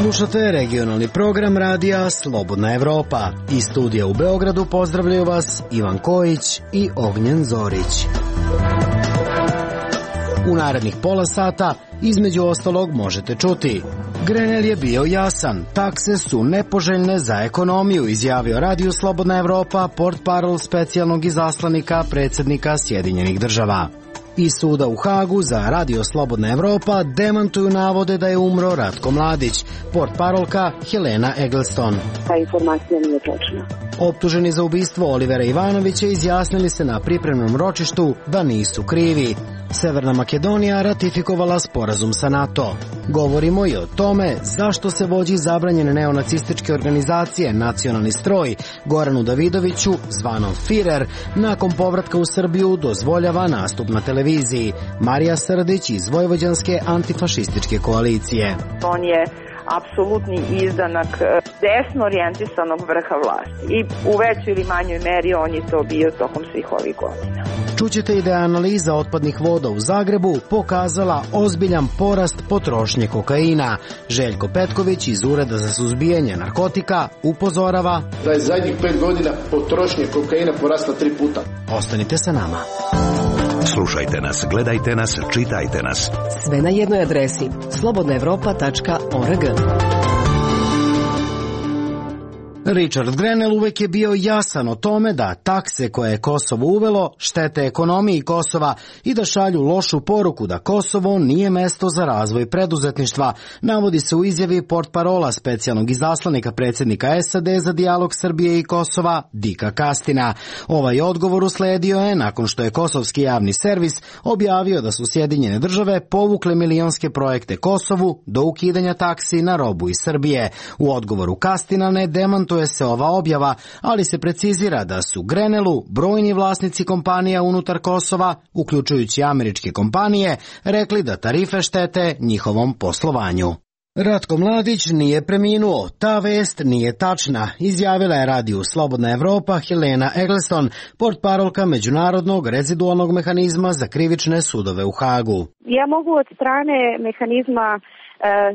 Slušate regionalni program radija Slobodna Evropa. Iz studija u Beogradu pozdravljaju vas Ivan Kojić i Ognjen Zorić. U narednih pola sata između ostalog možete čuti: Grenell je bio jasan, takse su nepoželjne za ekonomiju, izjavio Radio Slobodna Evropa, portparol specijalnog izaslanika predsjednika Sjedinjenih država. Iz suda u Hagu za Radio Slobodna Evropa demantuju navode da je umro Ratko Mladić, portparolka Helena Eggleston. Ta informacija nije točna. Optuženi za ubistvo Olivera Ivanovića izjasnili se na pripremnom ročištu da nisu krivi. Severna Makedonija ratifikovala sporazum sa NATO. Govorimo i o tome zašto se vođi zabranjene neonacističke organizacije Nacionalni stroj Goranu Davidoviću, zvanom Firer, nakon povratka u Srbiju dozvoljava nastup na televiziji. Marija Srdić iz Vojvođanske antifašističke koalicije. On je apsolutni izdanak desno orijentisanog vrha vlasti i u većoj ili manjoj meri on je to bio tokom svih ovih godina. Čućete i da je analiza otpadnih voda u Zagrebu pokazala ozbiljan porast potrošnje kokaina. Željko Petković iz Ureda za suzbijanje narkotika upozorava da je zadnjih 5 godina potrošnje kokaina porasla 3 puta. Ostanite sa nama. Slušajte nas, gledajte nas, čitajte nas. Sve na jednoj adresi: slobodnaevropa.org. Richard Grenell uvek je bio jasan o tome da takse koje je Kosovo uvelo štete ekonomiji Kosova i da šalju lošu poruku da Kosovo nije mesto za razvoj preduzetništva, navodi se u izjavi portparola specijalnog izaslanika predsjednika SAD za dijalog Srbije i Kosova, Dika Kastina. Ovaj odgovor usledio je nakon što je kosovski javni servis objavio da su Sjedinjene države povukle milionske projekte Kosovu do ukidanja taksi na robu iz Srbije. U odgovoru Kastina ne demantuje se ova objava, ali se precizira da su Grenellu brojni vlasnici kompanija unutar Kosova, uključujući američke kompanije, rekli da tarife štete njihovom poslovanju. Ratko Mladić nije preminuo, ta vest nije tačna, izjavila je Radiju Slobodna Evropa Helena Eggleston, portparolka Međunarodnog rezidualnog mehanizma za krivične sudove u Hagu. Ja mogu od strane mehanizma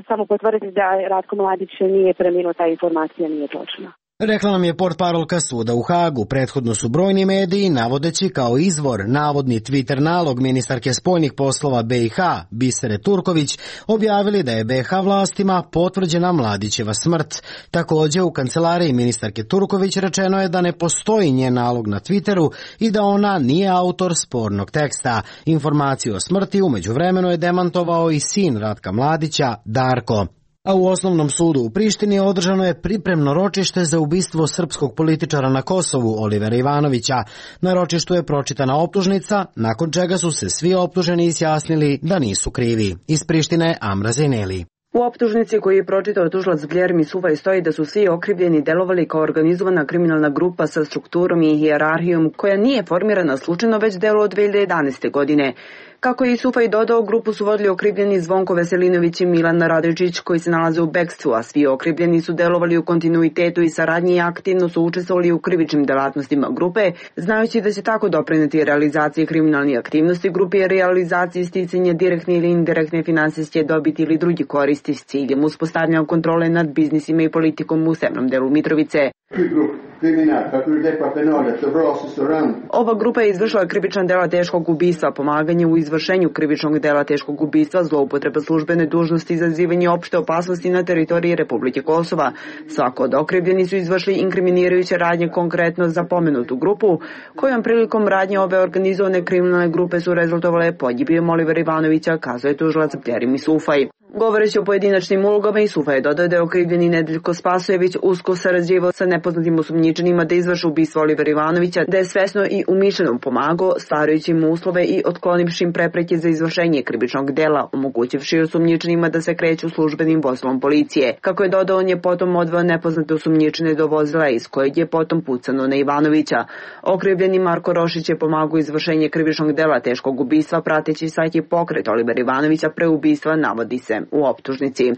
samo potvrditi da Ratko Mladić nije preminuo, ta informacija nije točna. Rekla nam je portparolka suda u Hagu. Prethodno su brojni mediji, navodeći kao izvor navodni Twitter nalog ministarke spoljnih poslova BiH, Bisere Turković, objavili da je BiH vlastima potvrđena Mladićeva smrt. Također u kancelariji ministarke Turković rečeno je da ne postoji njen nalog na Twitteru i da ona nije autor spornog teksta. Informaciju o smrti u međuvremenu je demantovao i sin Ratka Mladića, Darko. A u Osnovnom sudu u Prištini održano je pripremno ročište za ubistvo srpskog političara na Kosovu, Olivera Ivanovića. Na ročištu je pročitana optužnica, nakon čega su se svi optuženi izjasnili da nisu krivi. Iz Prištine, Amra Zeneli. U optužnici koju je pročitao tužilac Bjermi Sufaj stoji da su svi okrivljeni delovali kao organizovana kriminalna grupa sa strukturom i hijerarhijom koja nije formirana slučajno, već delo od 2011. godine. Kako je i Sufaj dodao, grupu su vodili okrivljeni Zvonko Veselinović i Milan Radojičić koji se nalaze u bekstvu, a svi okrivljeni su delovali u kontinuitetu i saradnji i aktivno su učestvovali u krivičnim delatnostima grupe, znajući da će tako doprineti realizaciji kriminalnih aktivnosti grupe i realizaciji sticanja direktne ili indirektne finansijske dobiti ili drugi koristi s ciljem uspostavljanja kontrole nad biznisima i politikom u severnom delu Mitrovice. Ova grupa je izvršila krivična dela teškog ubistva, pomaganje u izvršenju krivičnog dela teškog ubistva, zloupotreba službene dužnosti, izazivanje opšte opasnosti na teritoriji Republike Kosova. Svako od okrivljeni su izvršili inkriminirajuće radnje konkretno za pomenutu grupu, kojom prilikom radnje ove organizovane kriminalne grupe su rezultovale pogibijom Olivera Ivanovića, kazuje tužilac Bjermi Sufaj. Govoreći o pojedinačnim ulogama, i Sufaj je dodao da je okrivljeni Nedeljko Spasojević usko sarađivao sa nepoznatim osumnjičenima da izvrši ubistvo Olivera Ivanovića, da je svesno i umišljeno pomagao, stvarajući mu uslove i otklonivši im prepreke za izvršenje krivičnog dela, omogućivši osumnjičenima da se kreću službenim vozilom policije. Kako je dodao, on je potom odveo nepoznate osumnjičene do vozila iz kojeg je potom pucano na Ivanovića. Okrivljeni Marko Rošić je pomagao izvršenje krivičnog dela teškog ubistva, prateći svaki pokret Olivera Ivanovića pre ubistva, navodi se. je u optužnici.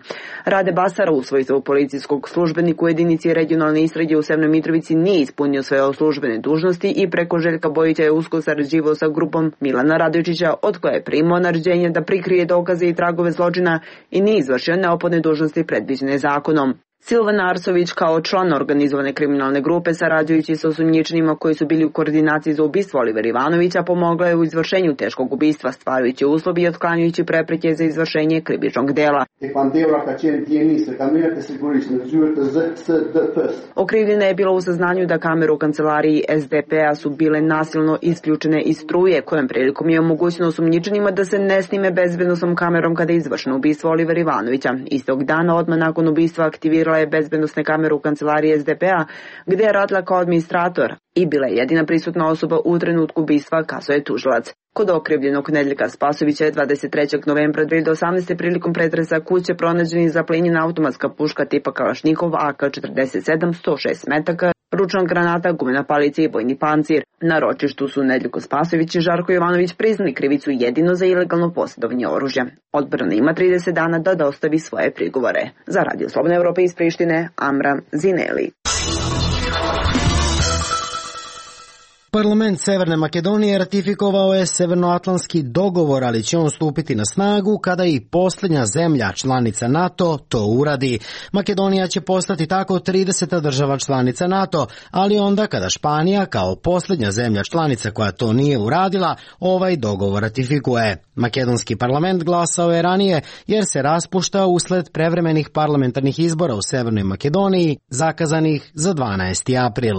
Rade Basara u svojstvu policijskog službenika u jedinici regionalne istrage u Severnoj Mitrovici nije ispunio svoje službene dužnosti i preko Željka Bojića je usko sarađivao sa grupom Milana Radojčića, od koje je primao naređenje da prikrije dokaze i tragove zločina i nije izvršio neophodne dužnosti predviđene zakonom. Silvan Arsović kao član organizovane kriminalne grupe sarađujući sa osumnjičenima koji su bili u koordinaciji za ubistvo Olivera Ivanovića pomogla je u izvršenju teškog ubistva, stvarajući uslovi i otklanjajući prepreke za izvršenje krivičnog dela. Okrivljena je bila u saznanju da kamere u kancelariji SDP-a su bile nasilno isključene iz struje, kojom prilikom je omogućeno osumnjičenima da se ne snime bezbednosnom kamerom kada je izvršeno ubistvo Olivera Ivanovića. Istog dana, odmah nakon ubistva, aktivirala je bezbednosne kamere u kancelariji SDP-a, gde je radila kao administrator i bila je jedina prisutna osoba u trenutku ubistva, kazao je tužilac. Kod okrivljenog Nedeljka Spasovića je 23. novembra 2018. prilikom pretresa kuće pronađena zaplenjena automatska puška tipa Kalašnikov AK-47, 106 metaka, ručna granata, gumena palica i bojni pancir. Na ročištu su Nedeljko Spasović i Žarko Jovanović priznali krivicu jedino za ilegalno posjedovanje oružja. Odbrana ima 30 dana da dostavi svoje prigovore. Za Radio Slobodna Evropa iz Prištine, Amra Zineli. Parlament Severne Makedonije ratifikovao je Severnoatlantski dogovor, ali će on stupiti na snagu kada i posljednja zemlja članica NATO to uradi. Makedonija će postati tako 30. država članica NATO, ali onda kada Španija kao posljednja zemlja članica koja to nije uradila, ovaj dogovor ratifikuje. Makedonski parlament glasao je ranije jer se raspušta usled prevremenih parlamentarnih izbora u Severnoj Makedoniji zakazanih za 12. april.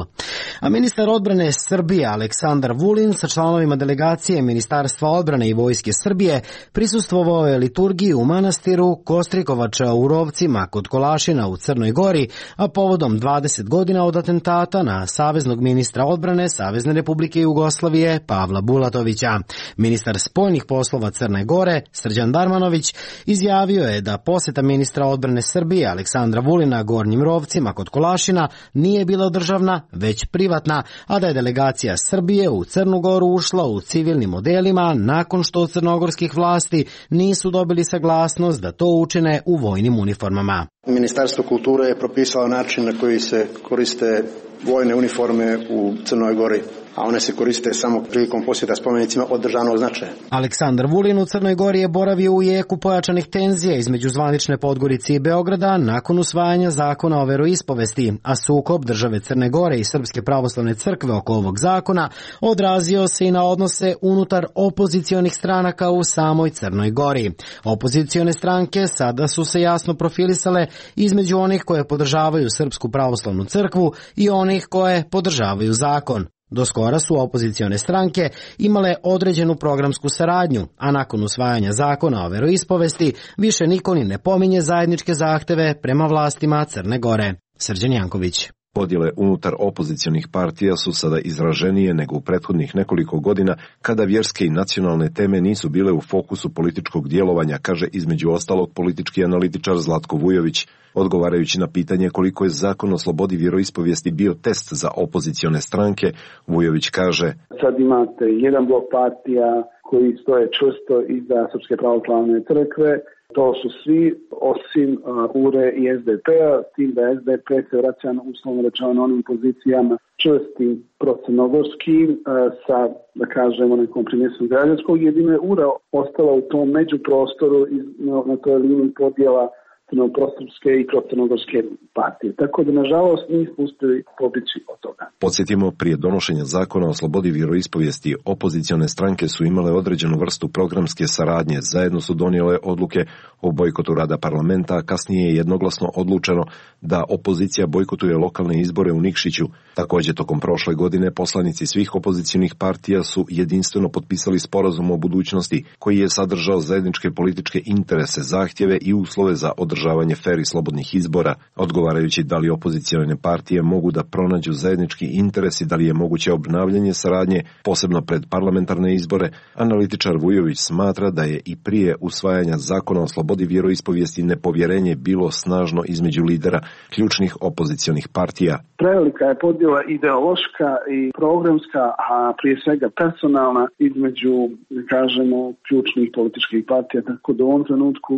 A ministar odbrane Srbije Aleksandar Vulin sa članovima delegacije Ministarstva odbrane i Vojske Srbije prisustvovao je liturgiji u manastiru Kostrikovača u Rovcima kod Kolašina u Crnoj Gori, a povodom 20 godina od atentata na saveznog ministra odbrane Savezne Republike Jugoslavije Pavla Bulatovića. Ministar spoljnih poslova Crne Gore Srđan Darmanović izjavio je da posjeta ministra odbrane Srbije Aleksandra Vulina Gornjim Rovcima kod Kolašina nije bila državna, već privatna, a da je delegacija Srbije u Crnu Goru ušla u civilnim modelima nakon što od crnogorskih vlasti nisu dobili saglasnost da to učine u vojnim uniformama. Ministarstvo kulture je propisalo način na koji se koriste vojne uniforme u Crnoj Gori, a one se koriste samo prilikom posjeta spomenicima od državnog značaja. Aleksandar Vulin u Crnoj Gori je boravio u jeku pojačanih tenzija između zvanične Podgorice i Beograda nakon usvajanja zakona o veroispovesti, a sukob države Crne Gore i Srpske pravoslavne crkve oko ovog zakona odrazio se i na odnose unutar opozicionih stranaka u samoj Crnoj Gori. Opozicione stranke sada su se jasno profilisale između onih koje podržavaju Srpsku pravoslavnu crkvu i onih koje podržavaju zakon. Do skora su opozicione stranke imale određenu programsku saradnju, a nakon usvajanja zakona o veroispovesti više niko ni ne pominje zajedničke zahteve prema vlastima Crne Gore. Srđan Janković. Podjele unutar opozicionih partija su sada izraženije nego u prethodnih nekoliko godina kada vjerske i nacionalne teme nisu bile u fokusu političkog djelovanja, kaže između ostalog politički analitičar Zlatko Vujović. Odgovarajući na pitanje koliko je zakon o slobodi vjeroispovijesti bio test za opozicione stranke, Vujović kaže: Sad imate jedan blok partija koji stoje čvrsto iza Srpske pravoslavne crkve. To su svi osim URE i SDP-a, s tim da SDP se vraća uslovno rečeno onim pozicijama čvrstim procrnogorskim sa, da kažemo, nekom primjesom građanskog. Jedino je URA ostala u tom međuprostoru na toj liniji podjela crnoprosrpske i procrnogorske partije. Tako da, nažalost, nismo uspjeli pobići od toga. Podsjetimo, prije donošenja zakona o slobodi vjeroispovijesti, opozicione stranke su imale određenu vrstu programske saradnje. Zajedno su donijele odluke o bojkotu rada parlamenta, a kasnije je jednoglasno odlučeno da opozicija bojkotuje lokalne izbore u Nikšiću. Također, tokom prošle godine poslanici svih opozicionih partija su jedinstveno potpisali sporazum o budućnosti, koji je sadržao zajedničke političke interese, zahtjeve i uslove za održavanje fer i slobodnih izbora. Odgovarajući da li opozicione partije mogu da pronađu zajednički interes i da li je moguće obnavljanje saradnje, posebno pred parlamentarne izbore, analitičar Vujović smatra da je i prije usvajanja zakona o slobodi vjeroispovijesti nepovjerenje bilo snažno između lidera ključnih opozicionih partija. Prevelika je podjela ideološka i programska, a prije svega personalna između, da kažemo, ključnih političkih partija, tako da u ovom trenutku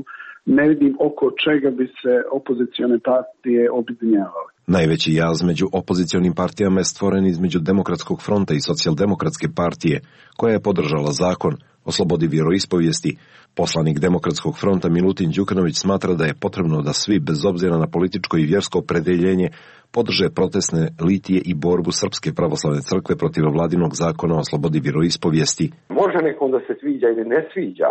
ne vidim oko čega bi se opozicione partije objedinjavale. Najveći jaz među opozicionim partijama je stvoren između Demokratskog fronta i Socijaldemokratske partije, koja je podržala zakon o slobodi vjeroispovijesti. Poslanik Demokratskog fronta Milutin Đukanović smatra da je potrebno da svi, bez obzira na političko i vjersko opredjeljenje, podrže protestne litije i borbu Srpske pravoslavne crkve protiv vladinog zakona o slobodi vjeroispovijesti. Može nekom da se sviđa ili ne sviđa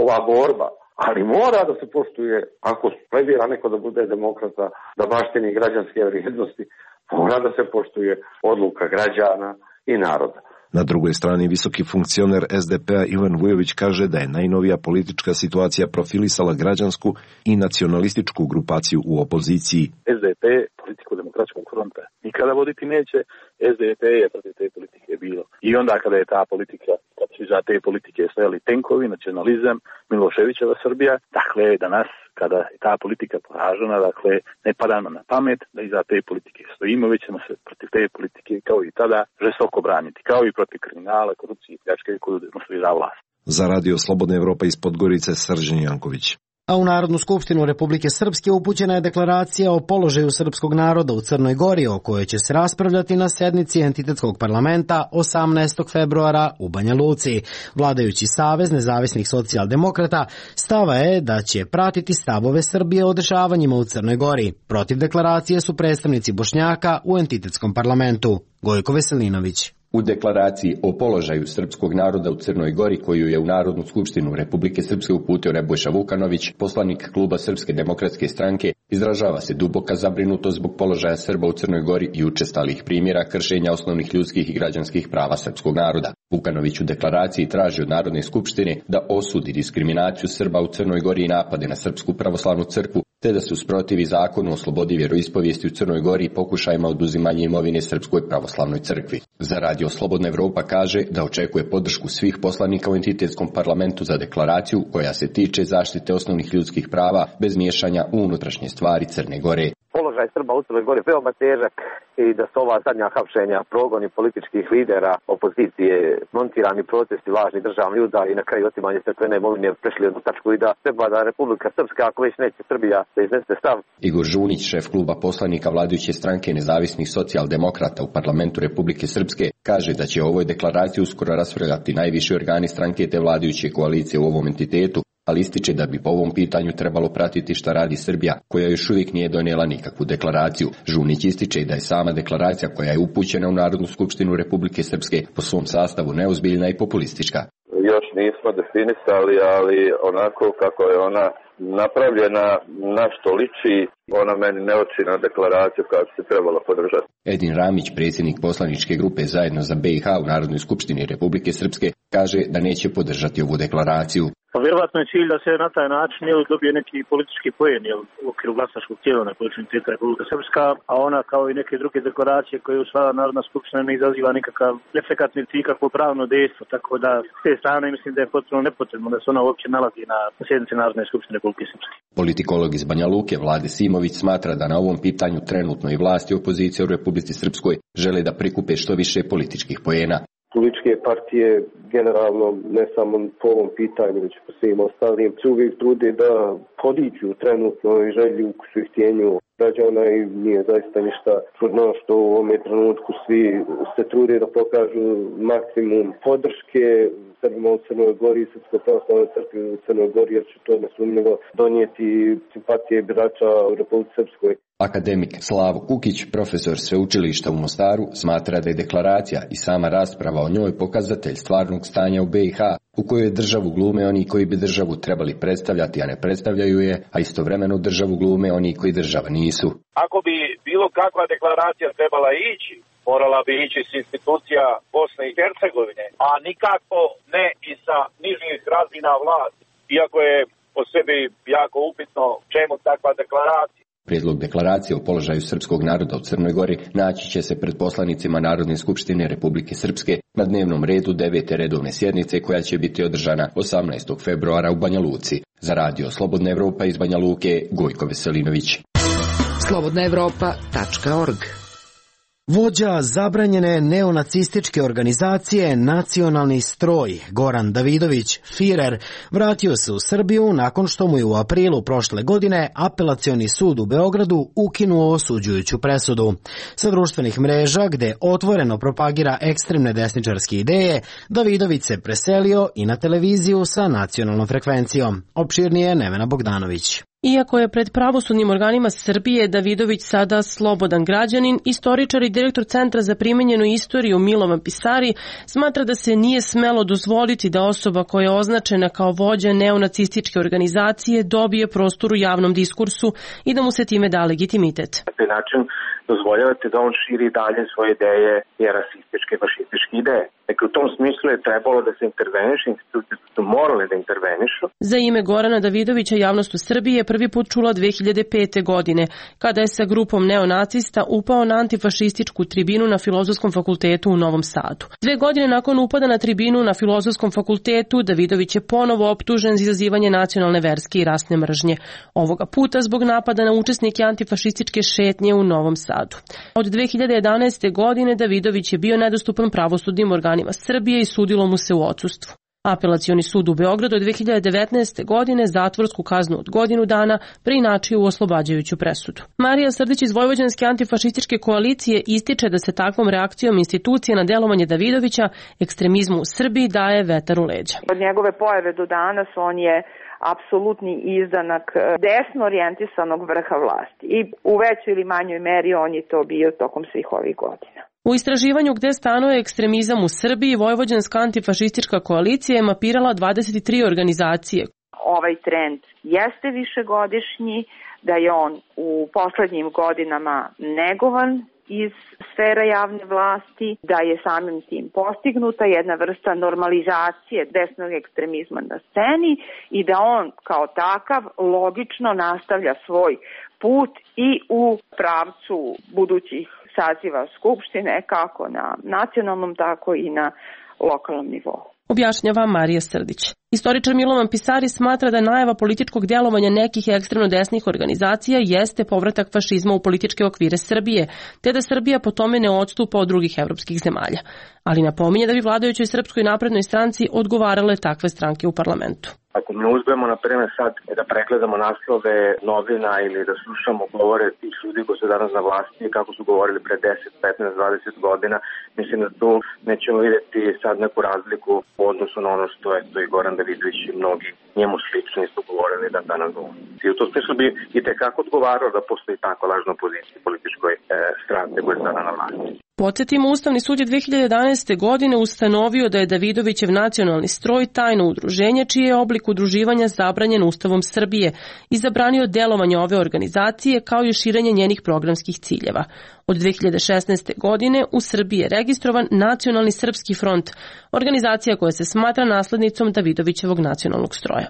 ova borba, ali mora da se poštuje, ako pledira neko da bude demokrata, da baštini građanske vrijednosti, mora da se poštuje odluka građana i naroda. Na drugoj strani visoki funkcioner SDP-a Ivan Vujović kaže da je najnovija politička situacija profilisala građansku i nacionalističku grupaciju u opoziciji. SDP politiku Demokratskog fronta nikada voditi neće, SDP je protiv te politike bilo. I onda kada je ta politika, kad su iza te politike stajali tenkovi, nacionalizam, Miloševićeva Srbija, dakle danas kada je ta politika poražena, dakle ne pada nam na pamet da iza te politike stojimo, već ćemo se protiv te politike kao i tada žestoko braniti, kao i protiv kriminala, korupcije i pljačke koju demonstrira vlast. Za Radio Slobodna Evropa iz Podgorice, Srđan Janković. A u Narodnu skupštinu Republike Srpske upućena je deklaracija o položaju srpskog naroda u Crnoj Gori, o kojoj će se raspravljati na sednici entitetskog parlamenta 18. februara u Banja Luci. Vladajući Savez nezavisnih socijaldemokrata stava je da će pratiti stavove Srbije o dešavanjima u Crnoj Gori. Protiv deklaracije su predstavnici Bošnjaka u entitetskom parlamentu. Gojko Veselinović. U deklaraciji o položaju srpskog naroda u Crnoj Gori, koju je u Narodnu skupštinu Republike Srpske uputio Nebojša Vukanović, poslanik kluba Srpske demokratske stranke, izražava se duboka zabrinutost zbog položaja Srba u Crnoj Gori i učestalih primjera kršenja osnovnih ljudskih i građanskih prava srpskog naroda. Vukanović u deklaraciji traži od Narodne skupštine da osudi diskriminaciju Srba u Crnoj Gori i napade na Srpsku pravoslavnu crkvu, te da se usprotivi zakonu o slobodi vjeroispovijesti u Crnoj Gori i pokušajima oduzimanja imovine Srpskoj pravoslavnoj crkvi. Za Radio Slobodna Evropa kaže da očekuje podršku svih poslanika u entitetskom parlamentu za deklaraciju koja se tiče zaštite osnovnih ljudskih prava bez miješanja u unutrašnje stvari Crne Gore. Položaj Srba u Crnoj Gori veoma težak i da su ova zadnja hapšenja, progoni političkih lidera, opozicije, montirani protesti, lažni državni udari i na kraju otimanje crkvene imovine prešli jednu tačku i da treba da Republika Srpska, ako već neće Srbija, da iznese stav. Igor Žunić, šef kluba poslanika vladajuće stranke nezavisnih socijaldemokrata u parlamentu Republike Srpske, kaže da će o ovoj deklaraciji uskoro raspravljati najviši organi stranke te vladajuće koalicije u ovom entitetu, ali ističe da bi po ovom pitanju trebalo pratiti šta radi Srbija, koja još uvijek nije donijela nikakvu deklaraciju. Žunić ističe da je sama deklaracija koja je upućena u Narodnu skupštinu Republike Srpske po svom sastavu neozbiljna i populistička. Još nismo definisali, ali onako kako je ona napravljena, na što liči, ona meni ne oči na deklaraciju koja bi se trebala podržati. Edin Ramić, predsjednik poslaničke grupe Zajedno za BiH u Narodnoj skupštini Republike Srpske, kaže da neće podržati ovu deklaraciju. Pa vjerovatno je cilj da se na taj način dobije neki politički poen u okviru glasačkog tijela na području entiteta Republika Srpska, a ona kao i neke druge deklaracije koje usvaja Narodna skupština ne izaziva nikakav efekat niti ikakvo pravno dejstvo, tako da s te strane mislim da je potpuno nepotrebno da se ona uopće nalazi na sjednici Narodne skupštine Republike Srpske. Politikolog iz Banja Luke Vlade Simović smatra da na ovom pitanju trenutno i vlasti i opozicija u Republici Srpskoj žele da prikupe što više političkih poena. Političke partije generalno ne samo po ovom pitanju, već po svim ostalim se uvijek trude da podiću trenutno i želju u htjenju građana i nije zaista ništa čudno što u ovom trenutku svi se trude da pokažu maksimum podrške Srbima u Crnoj Gori i Srpskoj pravoslavnoj crkvi u Crnoj Gori, jer će to nesumnjivo donijeti simpatije birača u Republici Srpskoj. Akademik Slavo Kukić, profesor sveučilišta u Mostaru, smatra da je deklaracija i sama rasprava o njoj pokazatelj stvarnog stanja u BiH, u kojoj državu glume oni koji bi državu trebali predstavljati, a ne predstavljaju je, a istovremeno državu glume oni koji država nisu. Ako bi bilo kakva deklaracija trebala ići, morala bi ići s institucija Bosne i Hercegovine, a nikako ne i sa nižih razina vlasti, iako je po sebi jako upitno čemu takva deklaracija. Prijedlog deklaracije o položaju srpskog naroda u Crnoj Gori naći će se pred poslanicima Narodne skupštine Republike Srpske na dnevnom redu 9. redovne sjednice koja će biti održana 18. februara u Banja Luci. Za Radio Slobodna Evropa iz Banja Luke, Gojko Veselinović. slobodnaevropa.org Vođa zabranjene neonacističke organizacije Nacionalni stroj, Goran Davidović, Firer, vratio se u Srbiju nakon što mu je u aprilu prošle godine Apelacioni sud u Beogradu ukinuo osuđujuću presudu. Sa društvenih mreža, gde otvoreno propagira ekstremne desničarske ideje, Davidović se preselio i na televiziju sa nacionalnom frekvencijom. Opširnije Nevena Bogdanović. Iako je pred pravosudnim organima Srbije Davidović sada slobodan građanin, istoričar i direktor Centra za primenjenu istoriju Milovan Pisari smatra da se nije smelo dozvoliti da osoba koja je označena kao vođa neonacističke organizacije dobije prostor u javnom diskursu i da mu se time da legitimitet. Na taj način dozvoljavate da on širi dalje svoje ideje i rasističke, fašističke ideje. Dakle, u tom smislu je trebalo da se interveniše, institucije su morale da intervenišu. Za ime Gorana Davidovića javnost u Srbiji je prvi put čula 2005. godine, kada je sa grupom neonacista upao na antifašističku tribinu na Filozofskom fakultetu u Novom Sadu. 2 godine nakon upada na tribinu na Filozofskom fakultetu, Davidović je ponovo optužen za izazivanje nacionalne, verske i rasne mržnje. Ovoga puta zbog napada na učesnike antifašističke šetnje u Novom Sadu. Od 2011. godine Davidović je bio nedostupan pravosudnim organima Srbije i sudilo mu se u odsustvu. Apelacioni sud u Beogradu od 2019. godine zatvorsku kaznu od godinu dana preinačio u oslobađajuću presudu. Marija Srdić iz Vojvođanske antifašističke koalicije ističe da se takvom reakcijom institucije na delovanje Davidovića ekstremizmu u Srbiji daje vetar u leđa. Od njegove pojave do danas on je apsolutni izdanak desno orijentisanog vrha vlasti i u većoj ili manjoj meri on je to bio tokom svih ovih godina. U istraživanju gde stanuje ekstremizam u Srbiji, Vojvođanska antifašistička koalicija je mapirala 23 organizacije. Ovaj trend jeste višegodišnji, da je on u poslednjim godinama negovan iz sfera javne vlasti, da je samim tim postignuta jedna vrsta normalizacije desnog ekstremizma na sceni i da on kao takav logično nastavlja svoj put i u pravcu budućih saziva Skupštine, kako na nacionalnom, tako i na lokalnom nivou. Objašnjava Marija Srdić. Istoričar Milovan Pisari smatra da najava političkog djelovanja nekih ekstremno desnih organizacija jeste povratak fašizma u političke okvire Srbije, te da Srbija po tome ne odstupa od drugih evropskih zemalja. Ali napominje da bi vladajućoj Srpskoj naprednoj stranci odgovarale takve stranke u parlamentu. Ako mi uzmemo, na primjer, sad da pregledamo naslove novina ili da slušamo govore tih ljudi koji su danas na vlasti, kako su govorili pre 10, 15, 20 godina, mislim da tu nećemo vidjeti sad neku razliku u odnosu na ono što je to i Goran Davidović i mnogi njemu slični su govorili da danas govori. I u tom smislu bi i tekako odgovarao da postoji tako lažna opozicija političkoj stranke koja je sada na vlasti. Podsjetimo, Ustavni sud je 2011. godine ustanovio da je Davidovićev nacionalni stroj tajno udruženje čiji je oblik udruživanja zabranjen Ustavom Srbije i zabranio delovanje ove organizacije kao i širenje njenih programskih ciljeva. Od 2016. godine u Srbiji je registrovan Nacionalni srpski front, organizacija koja se smatra naslednicom Davidovićevog nacionalnog stroja.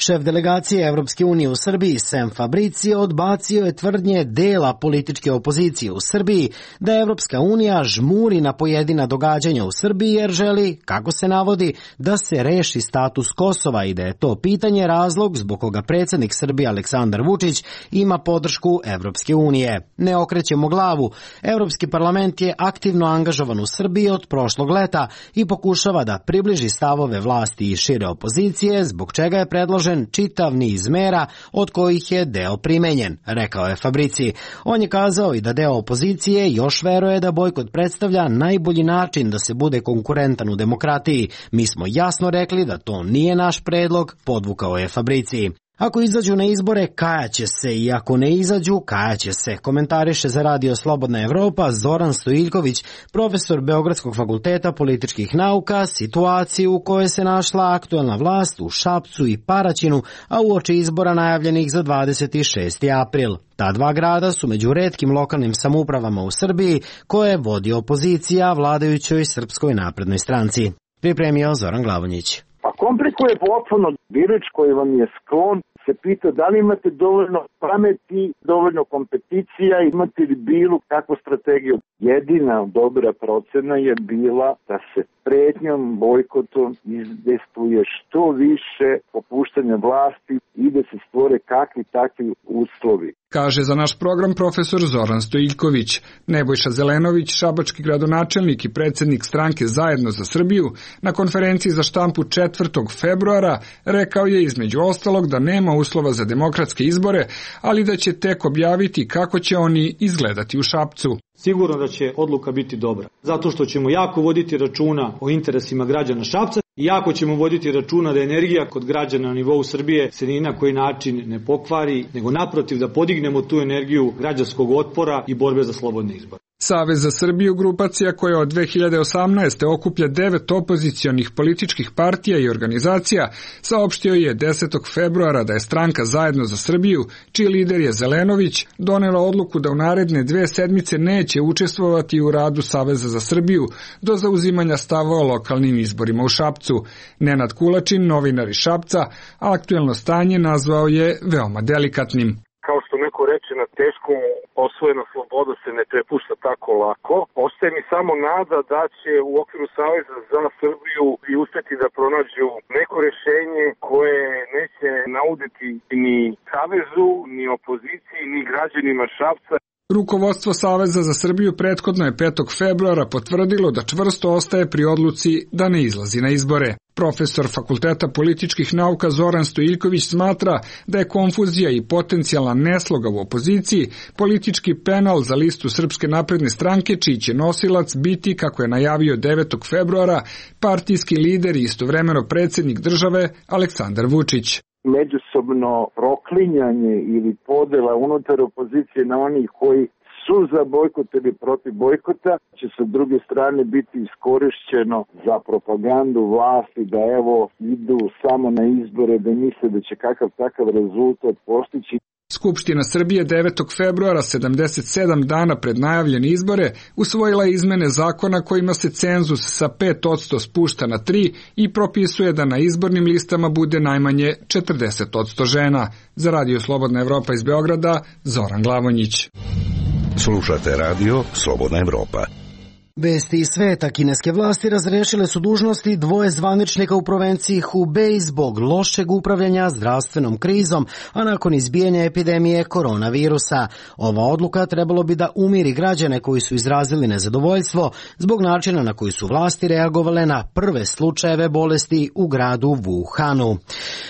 Šef delegacije Evropske unije u Srbiji, Sam Fabricio, odbacio je tvrdnje dela političke opozicije u Srbiji da Evropska unija žmuri na pojedina događanja u Srbiji jer želi, kako se navodi, da se reši status Kosova i da je to pitanje razlog zbog koga predsjednik Srbije Aleksandar Vučić ima podršku Evropske unije. Ne okrećemo glavu. Evropski parlament je aktivno angažovan u Srbiji od prošlog leta i pokušava da približi stavove vlasti i šire opozicije, zbog čega je predložen čitav niz mera od kojih je deo primenjen, rekao je Fabrici. On je kazao i da deo opozicije još veruje da bojkot predstavlja najbolji način da se bude konkurentan u demokratiji. Mi smo jasno rekli da to nije naš predlog, podvukao je Fabrici. Ako izađu na izbore, kajaće se i ako ne izađu, kajaće se, komentariše za Radio Slobodna Evropa Zoran Stojiljković, profesor Beogradskog fakulteta političkih nauka, situaciju u kojoj se našla aktuelna vlast u Šapcu i Paraćinu, a uoči izbora najavljenih za 26. april. Ta dva grada su među retkim lokalnim samoupravama u Srbiji koje vodi opozicija vladajućoj Srpskoj naprednoj stranci. Pripremio Zoran Glavonjić. Pa komplikuje potpuno. Birač koji vam je sklon se pita da li imate dovoljno pameti, dovoljno kompeticija, imate li bilo kakvu strategiju. Jedina dobra procena je bila da se pretnjom, bojkotom izdejstvuje što više popuštanja vlasti i da se stvore kakvi takvi uslovi. kaže za naš program profesor Zoran Stojiljković. Nebojša Zelenović, šabački gradonačelnik i predsjednik stranke Zajedno za Srbiju, na konferenciji za štampu 4. februara rekao je između ostalog da nema uslova za demokratske izbore, ali da će tek objaviti kako će oni izgledati u Šapcu. Sigurno da će odluka biti dobra, zato što ćemo jako voditi računa o interesima građana Šapca i jako ćemo voditi računa da energija kod građana na nivou Srbije se ni na koji način ne pokvari, nego naprotiv da podignemo tu energiju građanskog otpora i borbe za slobodne izbore. Savez za Srbiju, grupacija koja od 2018. okuplja 9 opozicionih političkih partija i organizacija, saopštio je 10. februara da je stranka Zajedno za Srbiju, čiji lider je Zelenović, donela odluku da u naredne 2 sedmice neće učestvovati u radu Saveza za Srbiju do zauzimanja stava o lokalnim izborima u Šapcu. Nenad Kulačin, novinar iz Šapca, aktuelno stanje nazvao je veoma delikatnim. Kao što neko reče, na teškom osvojena sloboda se ne prepušta tako lako. Ostaje mi samo nada da će u okviru Saveza za Srbiju i uspeti da pronađu neko rešenje koje neće nauditi ni Savezu, ni opoziciji, ni građanima Šapca. Rukovodstvo Saveza za Srbiju prethodno je 5. februara potvrdilo da čvrsto ostaje pri odluci da ne izlazi na izbore. Profesor Fakulteta političkih nauka Zoran Stojiljković smatra da je konfuzija i potencijalna nesloga u opoziciji politički penal za listu Srpske napredne stranke, čiji će nosilac biti, kako je najavio 9. februara, partijski lider i istovremeno predsjednik države Aleksandar Vučić. Međusobno proklinjanje ili podela unutar opozicije na onih koji su za bojkot ili protiv bojkota će sa druge strane biti iskorišćeno za propagandu vlasti da evo idu samo na izbore, da misle da će kakav takav rezultat postići. Skupština Srbije 9. februara, 77 dana pred najavljene izbore, usvojila izmene zakona kojima se cenzus sa 5% spušta na 3 i propisuje da na izbornim listama bude najmanje 40% žena. Za Radio Slobodna Evropa iz Beograda, Zoran Glavonjić. Slušate radio Slobodna Evropa. Vesti iz sveta. Kineske vlasti razrešile su dužnosti 2 zvaničnika u provinciji Hubei zbog lošeg upravljanja zdravstvenom krizom, a nakon izbijanja epidemije koronavirusa. Ova odluka trebalo bi da umiri građane koji su izrazili nezadovoljstvo zbog načina na koji su vlasti reagovale na prve slučajeve bolesti u gradu Wuhanu.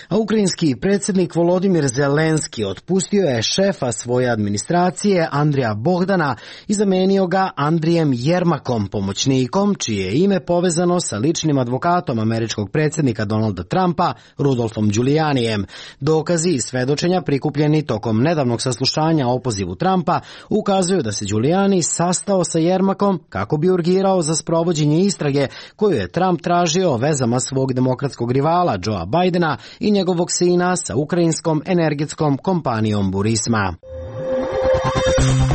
A ukrajinski predsjednik Volodimir Zelenski otpustio je šefa svoje administracije Andrija Bogdana i zamenio ga Andrijem Jermakom, pomoćnikom, čije je ime povezano sa ličnim advokatom američkog predsjednika Donalda Trumpa, Rudolfom Giulianijem. Dokazi i svedočenja prikupljeni tokom nedavnog saslušanja o opozivu Trumpa ukazuju da se Giuliani sastao sa Jermakom kako bi urgirao za sprovođenje istrage koju je Trump tražio o vezama svog demokratskog rivala Joea Bidena i njegovog sina sa ukrajinskom energetskom kompanijom Burisma.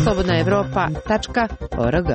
slobodnaevropa.org.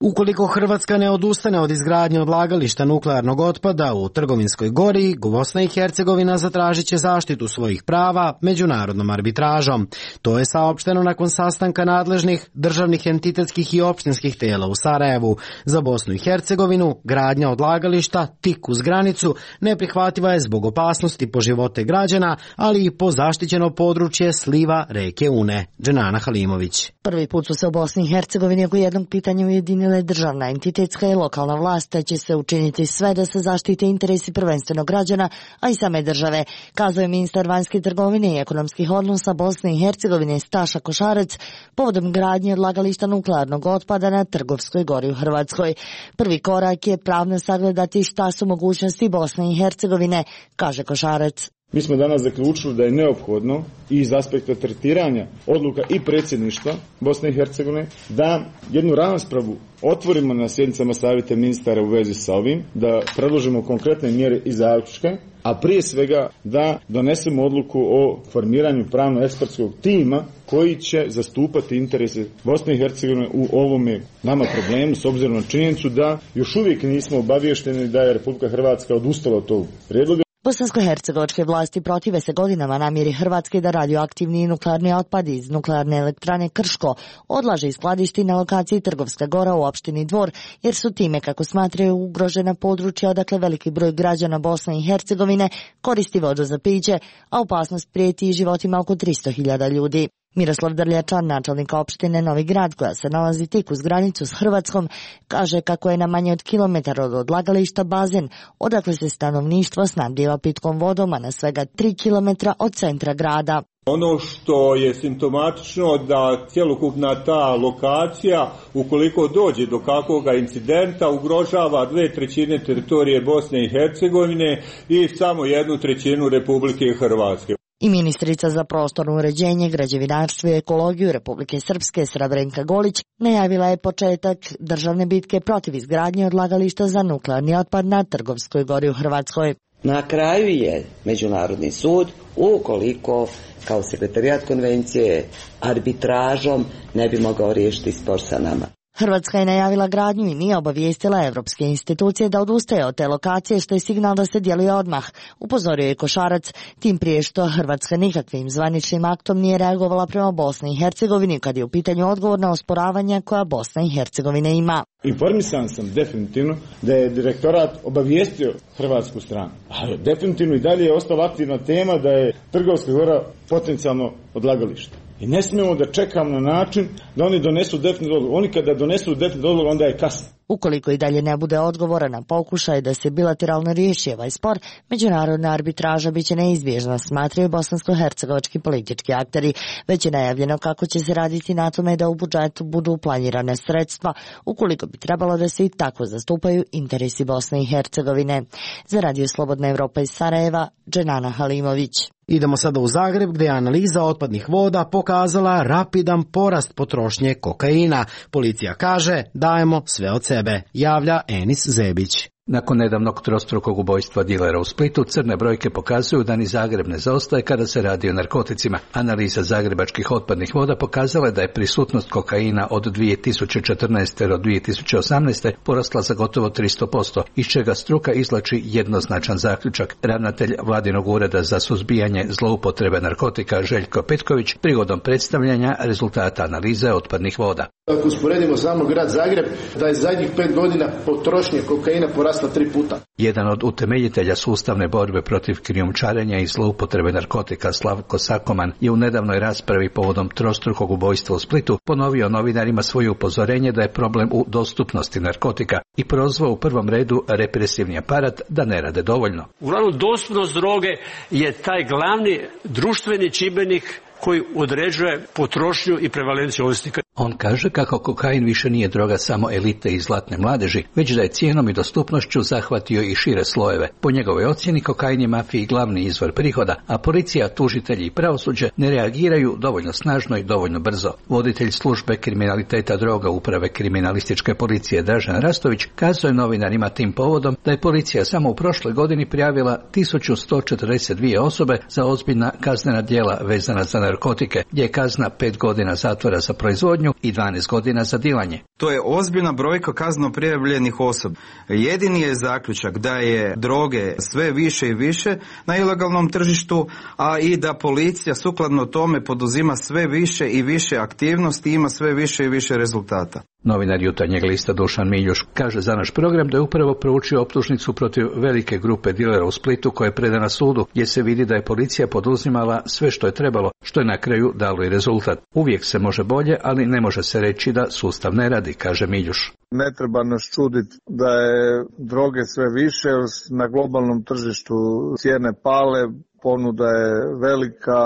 Ukoliko Hrvatska ne odustane od izgradnje odlagališta nuklearnog otpada u Trgovinskoj gori, Bosna i Hercegovina zatražit će zaštitu svojih prava međunarodnom arbitražom. To je saopšteno nakon sastanka nadležnih državnih entitetskih i opštinskih tela u Sarajevu. Za Bosnu i Hercegovinu gradnja odlagališta tik uz granicu neprihvatljiva je zbog opasnosti po živote građana, ali i po zaštićeno područje sliva reke Une. Dženana Halimović. Prvi put su se u Bosni i Hercegovini oko jednog pitanja ujedinile državna, entitetska i lokalna vlast, te će se učiniti sve da se zaštite interesi prvenstveno građana, a i same države, kazao je ministar vanjske trgovine i ekonomskih odnosa Bosne i Hercegovine Staša Košarec povodom gradnje odlagališta nuklearnog otpada na Trgovskoj gori u Hrvatskoj. Prvi korak je pravno sagledati šta su mogućnosti Bosne i Hercegovine, kaže Košarec. Mi smo danas zaključili da je neophodno i iz aspekta tretiranja odluka i predsjedništva Bosne i Hercegovine da jednu raspravu otvorimo na sjednicama savjeta ministara u vezi sa ovim, da predložimo konkretne mjere i zaključke, a prije svega da donesemo odluku o formiranju pravno-ekspertskog tima koji će zastupati interese Bosne i Hercegovine u ovome nama problemu, s obzirom na činjenicu da još uvijek nismo obavješteni da je Republika Hrvatska odustala od tog prijedloga. Bosansko-hercegovačke vlasti protive se godinama namjeri Hrvatske da radioaktivni nuklearni otpad iz nuklearne elektrane Krško odlaže i skladišti na lokaciji Trgovska Gora u opštini Dvor, jer su time, kako smatraju, ugrožena područja odakle veliki broj građana Bosne i Hercegovine koristi vodu za piće, a opasnost prijeti i životima oko 300.000 ljudi. Miroslav Drljačan, načelnik opštine Novi Grad, koja se nalazi tik uz granicu s Hrvatskom, kaže kako je na manje od kilometar od odlagališta bazen, odakle se stanovništvo snabdijeva pitkom vodom, a na svega 3 kilometra od centra grada. Ono što je simptomatično da cjelokupna ta lokacija, ukoliko dođe do kakvog incidenta, ugrožava 2/3 teritorije Bosne i Hercegovine i samo 1/3 Republike Hrvatske. I ministrica za prostorno uređenje, građevinarstvo i ekologiju Republike Srpske Sravrenka Golić najavila je početak državne bitke protiv izgradnje odlagališta za nuklearni otpad na Trgovskoj Gori u Hrvatskoj. Na kraju je Međunarodni sud, ukoliko kao sekretarijat konvencije arbitražom ne bi mogao riješiti spor sa nama. Hrvatska je najavila gradnju i nije obavijestila evropske institucije da odustaje od te lokacije, što je signal da se djeluje odmah, upozorio je Košarac, tim prije što Hrvatska nikakvim zvaničnim aktom nije reagovala prema Bosni i Hercegovini kad je u pitanju odgovor na osporavanja koja Bosna i Hercegovina ima. Informisan sam definitivno da je direktorat obavijestio hrvatsku stranu, ali definitivno i dalje je ostala aktivna tema da je Trgovska Gora potencijalno odlagalište. I ne smijemo da čekamo na način da oni donesu definitivnu odluku. Oni kada donesu definitivnu odluku, onda je kasno. Ukoliko i dalje ne bude odgovora na pokušaj da se bilateralno riješi ovaj spor, međunarodna arbitraža biće neizbježna, smatraju bosansko-hercegovački politički akteri. Već je najavljeno kako će se raditi na tome da u budžetu budu planirane sredstva, ukoliko bi trebalo da se i tako zastupaju interesi Bosne i Hercegovine. Za Radio Slobodna Evropa iz Sarajeva, Dženana Halimović. Idemo sada u Zagreb, gdje je analiza otpadnih voda pokazala rapidan porast potrošnje kokaina. Policija kaže, dajemo sve od sebe, javlja Enis Zebić. Nakon nedavnog trostrukog ubojstva dilera u Splitu, crne brojke pokazuju da ni Zagreb ne zaostaje kada se radi o narkoticima. Analiza zagrebačkih otpadnih voda pokazala je da je prisutnost kokaina od 2014. do 2018. porasla za gotovo 300%, iz čega struka izvlači jednoznačan zaključak. Ravnatelj Vladinog ureda za suzbijanje zloupotrebe narkotika Željko Petković prigodom predstavljanja rezultata analize otpadnih voda. Ako usporedimo samo grad Zagreb, da je zadnjih 5 godina potrošnje kokaina porasla 3 puta. Jedan od utemeljitelja sustavne borbe protiv krijumčarenja i zloupotrebe narkotika Slavko Sakoman je u nedavnoj raspravi povodom trostrukog ubojstva u Splitu ponovio novinarima svoje upozorenje da je problem u dostupnosti narkotika i prozvao u prvom redu represivni aparat da ne rade dovoljno. Uglavnom, dostupnost droge je taj glavni društveni čimbenik koji određuje potrošnju i prevalenciju ovisnika. On kaže kako kokain više nije droga samo elite i zlatne mladeži, već da je cijenom i dostupnošću zahvatio i šire slojeve. Po njegovoj ocjeni kokain je mafiji glavni izvor prihoda, a policija, tužitelji i pravosuđe ne reagiraju dovoljno snažno i dovoljno brzo. Voditelj službe kriminaliteta droga uprave kriminalističke policije Dražen Rastović kazao je novinarima tim povodom da je policija samo u prošloj godini prijavila 1142 osobe za ozbiljna kaznena djela vezana za narkotike, gdje je kazna 5 godina zatvora za proizvodnju i 12 godina za dilanje. To je ozbiljna brojka kazneno prijavljenih osoba. Jedini je zaključak da je droge sve više i više na ilegalnom tržištu, a i da policija sukladno tome poduzima sve više i više aktivnosti i ima sve više i više rezultata. Novinar Jutarnjeg lista Dušan Miljuš kaže za naš program da je upravo proučio optužnicu protiv velike grupe dilera u Splitu koja je predana sudu, gdje se vidi da je policija poduzimala sve što je trebalo, što je na kraju dalo i rezultat. Uvijek se može bolje, ali ne može se reći da sustav ne radi, kaže Miljuš. Ne treba nas čuditi da je droge sve više, na globalnom tržištu cijene pale, ponuda je velika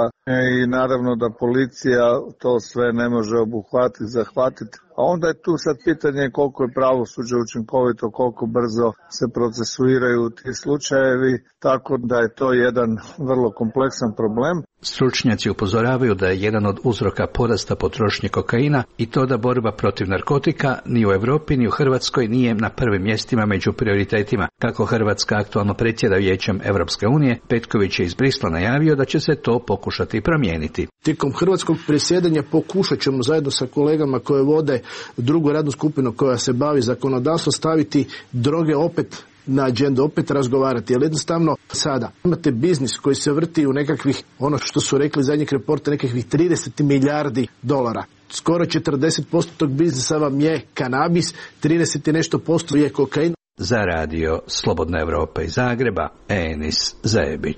i naravno da policija to sve ne može obuhvatiti, zahvatiti. A onda je tu sad pitanje koliko je pravosuđe učinkovito, koliko brzo se procesuiraju ti slučajevi, tako da je to jedan vrlo kompleksan problem. Stručnjaci upozoravaju da je jedan od uzroka porasta potrošnje kokaina i to da borba protiv narkotika ni u Europi ni u Hrvatskoj nije na prvim mjestima među prioritetima. Kako Hrvatska aktualno predsjeda Vijećem Europske unije, Petković je iz Brisla najavio da će se to pokušati promijeniti. Tijekom hrvatskog predsjedanja pokušat ćemo zajedno sa kolegama koje vode drugu radnu skupinu koja se bavi zakonodavstvom staviti droge opet na agendu opet razgovarati, jer jednostavno sada imate biznis koji se vrti u nekakvih, ono što su rekli zadnjeg reporta, nekakvih 30 milijardi dolara. Skoro 40% tog biznisa vam je kanabis, 30 i nešto posto je kokain. Za radio Slobodna Evropa iz Zagreba, Enis Zajebić.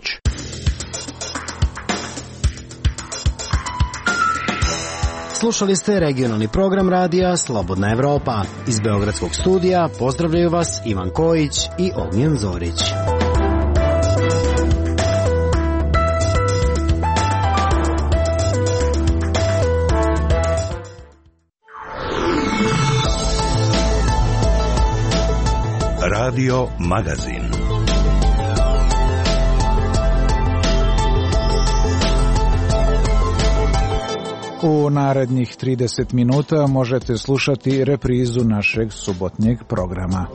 Slušali ste regionalni program radija Slobodna Evropa. Iz Beogradskog studija pozdravljaju vas Ivan Kojić i Ognjen Zorić. Radio Magazin. U narednih 30 minuta možete slušati reprizu našeg subotnjeg programa.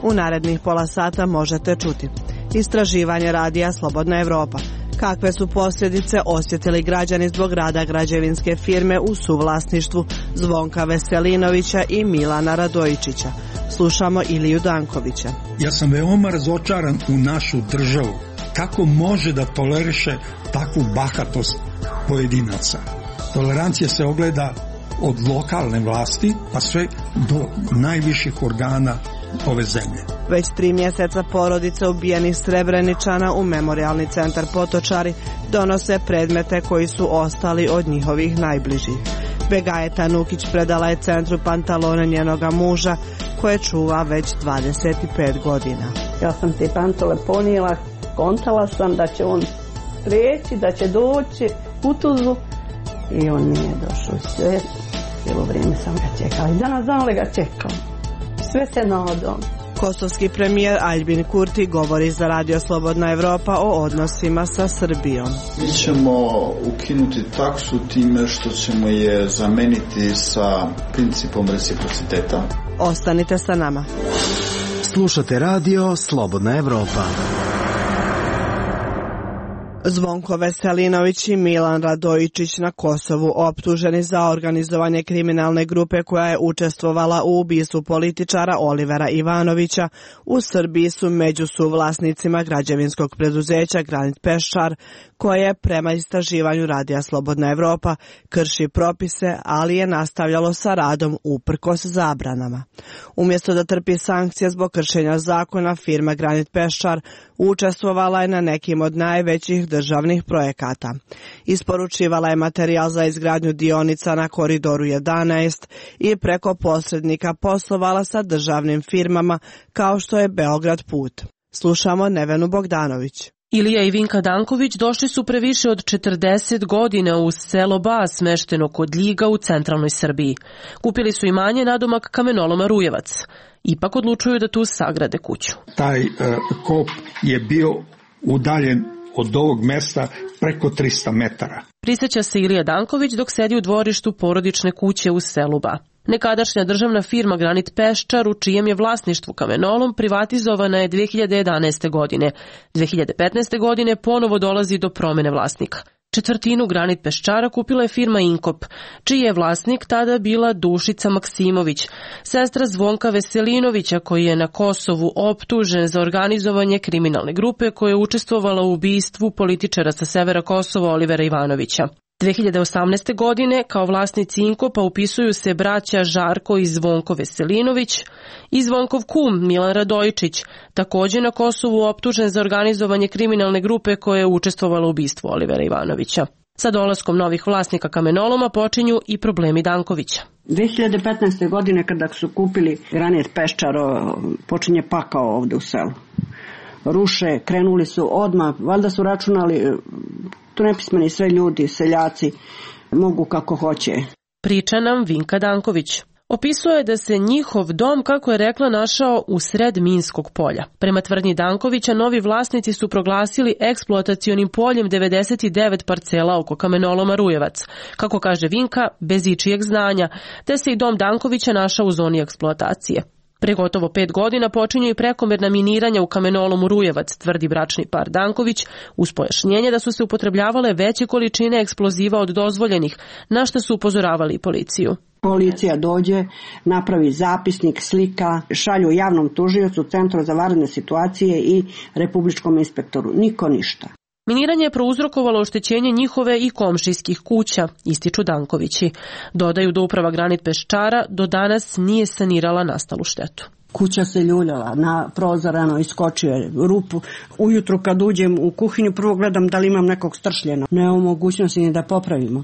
U narednih pola sata možete čuti istraživanje radija Slobodna Evropa. Kakve su posljedice osjetili građani zbog rada građevinske firme u suvlasništvu Zvonka Veselinovića i Milana Radojičića? Slušamo Iliju Dankovića. Ja sam veoma razočaran u našu državu. Kako može da toleriše takvu bahatost pojedinaca? Tolerancija se ogleda od lokalne vlasti pa sve do najviših organa ove zemlje. Već 3 mjeseca porodice ubijenih Srebreničana u Memorijalni centar Potočari donose predmete koji su ostali od njihovih najbližih. Begajeta Nukić predala je centru pantalone njenoga muža koje čuva već 25 godina. Ja sam te pantole ponijela, kontala sam da će on preći, da će doći u Tuzlu i on nije došao. Sve, cijelo vrijeme sam ga čekala i danas znam li ga čekam. Sve se nadam. Kosovski premijer Aljbin Kurti govori za Radio Slobodna Evropa o odnosima sa Srbijom. Mi ćemo ukinuti taksu time što ćemo je zameniti sa principom reciprociteta. Ostanite sa nama. Slušate radio Slobodna Evropa. Zvonko Veselinović i Milan Radojičić na Kosovu optuženi za organizovanje kriminalne grupe koja je učestvovala u ubistvu političara Olivera Ivanovića u Srbiji su među suvlasnicima građevinskog preduzeća Granit Peščar, koje prema istraživanju radija Slobodna Evropa krši propise, ali je nastavljalo sa radom uprkos zabranama. Umjesto da trpi sankcije zbog kršenja zakona, firma Granit Peščar učestvovala je na nekim od najvećih državnih projekata. Isporučivala je materijal za izgradnju dionica na Koridoru 11 i preko posrednika poslovala sa državnim firmama kao što je Beograd Put. Slušamo Nevenu Bogdanović. Ilija i Vinka Danković došli su pre više od 40 godina u selo Ba, smešteno kod Ljiga u centralnoj Srbiji. Kupili su imanje nadomak kamenoloma Rujevac. Ipak odlučuju da tu sagrade kuću. Taj kop je bio udaljen od ovog mesta preko 300 metara. Prisjeća se Ilija Danković dok sedi u dvorištu porodične kuće u selu Ba. Nekadašnja državna firma Granit Peščar, u čijem je vlasništvu kamenolom, privatizovana je 2011. godine. 2015. godine ponovo dolazi do promjene vlasnika. Četvrtinu Granit Peščara kupila je firma Inkop, čiji je vlasnik tada bila Dušica Maksimović, sestra Zvonka Veselinovića, koji je na Kosovu optužen za organizovanje kriminalne grupe koja je učestvovala u ubistvu političara sa severa Kosova Olivera Ivanovića. 2018. godine kao vlasnici Inkopa upisuju se braća Žarko i Zvonko Veselinović i Zvonkov kum Milan Radojičić, također na Kosovu optužen za organizovanje kriminalne grupe koja je učestvovala u ubistvu Olivera Ivanovića. Sa dolaskom novih vlasnika kamenoloma počinju i problemi Dankovića. 2015. godine kada su kupili Granit Peščar, počinje pakao ovdje u selu. Ruše, krenuli su odmah, valjda su računali, tu nepismeni sve ljudi, seljaci, mogu kako hoće. Priča nam Vinka Danković. Opisuje da se njihov dom, kako je rekla, našao u sred minskog polja. Prema tvrdnji Dankovića, novi vlasnici su proglasili eksploatacionim poljem 99 parcela oko kamenoloma Rujevac. Kako kaže Vinka, bez ičijeg znanja, te se i dom Dankovića našao u zoni eksploatacije. Pre gotovo 5 godina počinju i prekomerna miniranja u kamenolomu Rujevac, tvrdi bračni par Danković, uz pojašnjenje da su se upotrebljavale veće količine eksploziva od dozvoljenih, na što su upozoravali i policiju. Policija dođe, napravi zapisnik, slika, šalju javnom tužiocu, Centru za vanredne situacije i republičkom inspektoru. Niko ništa. Miniranje je prouzrokovalo oštećenje njihove i komšijskih kuća, ističu Dankovići. Dodaju da uprava Granit Peščara do danas nije sanirala nastalu štetu. Kuća se ljuljala, na prozorano iskočio je rupu. Ujutru kad uđem u kuhinju, prvo gledam da li imam nekog stršljena. Nema mogućnosti ni da popravimo.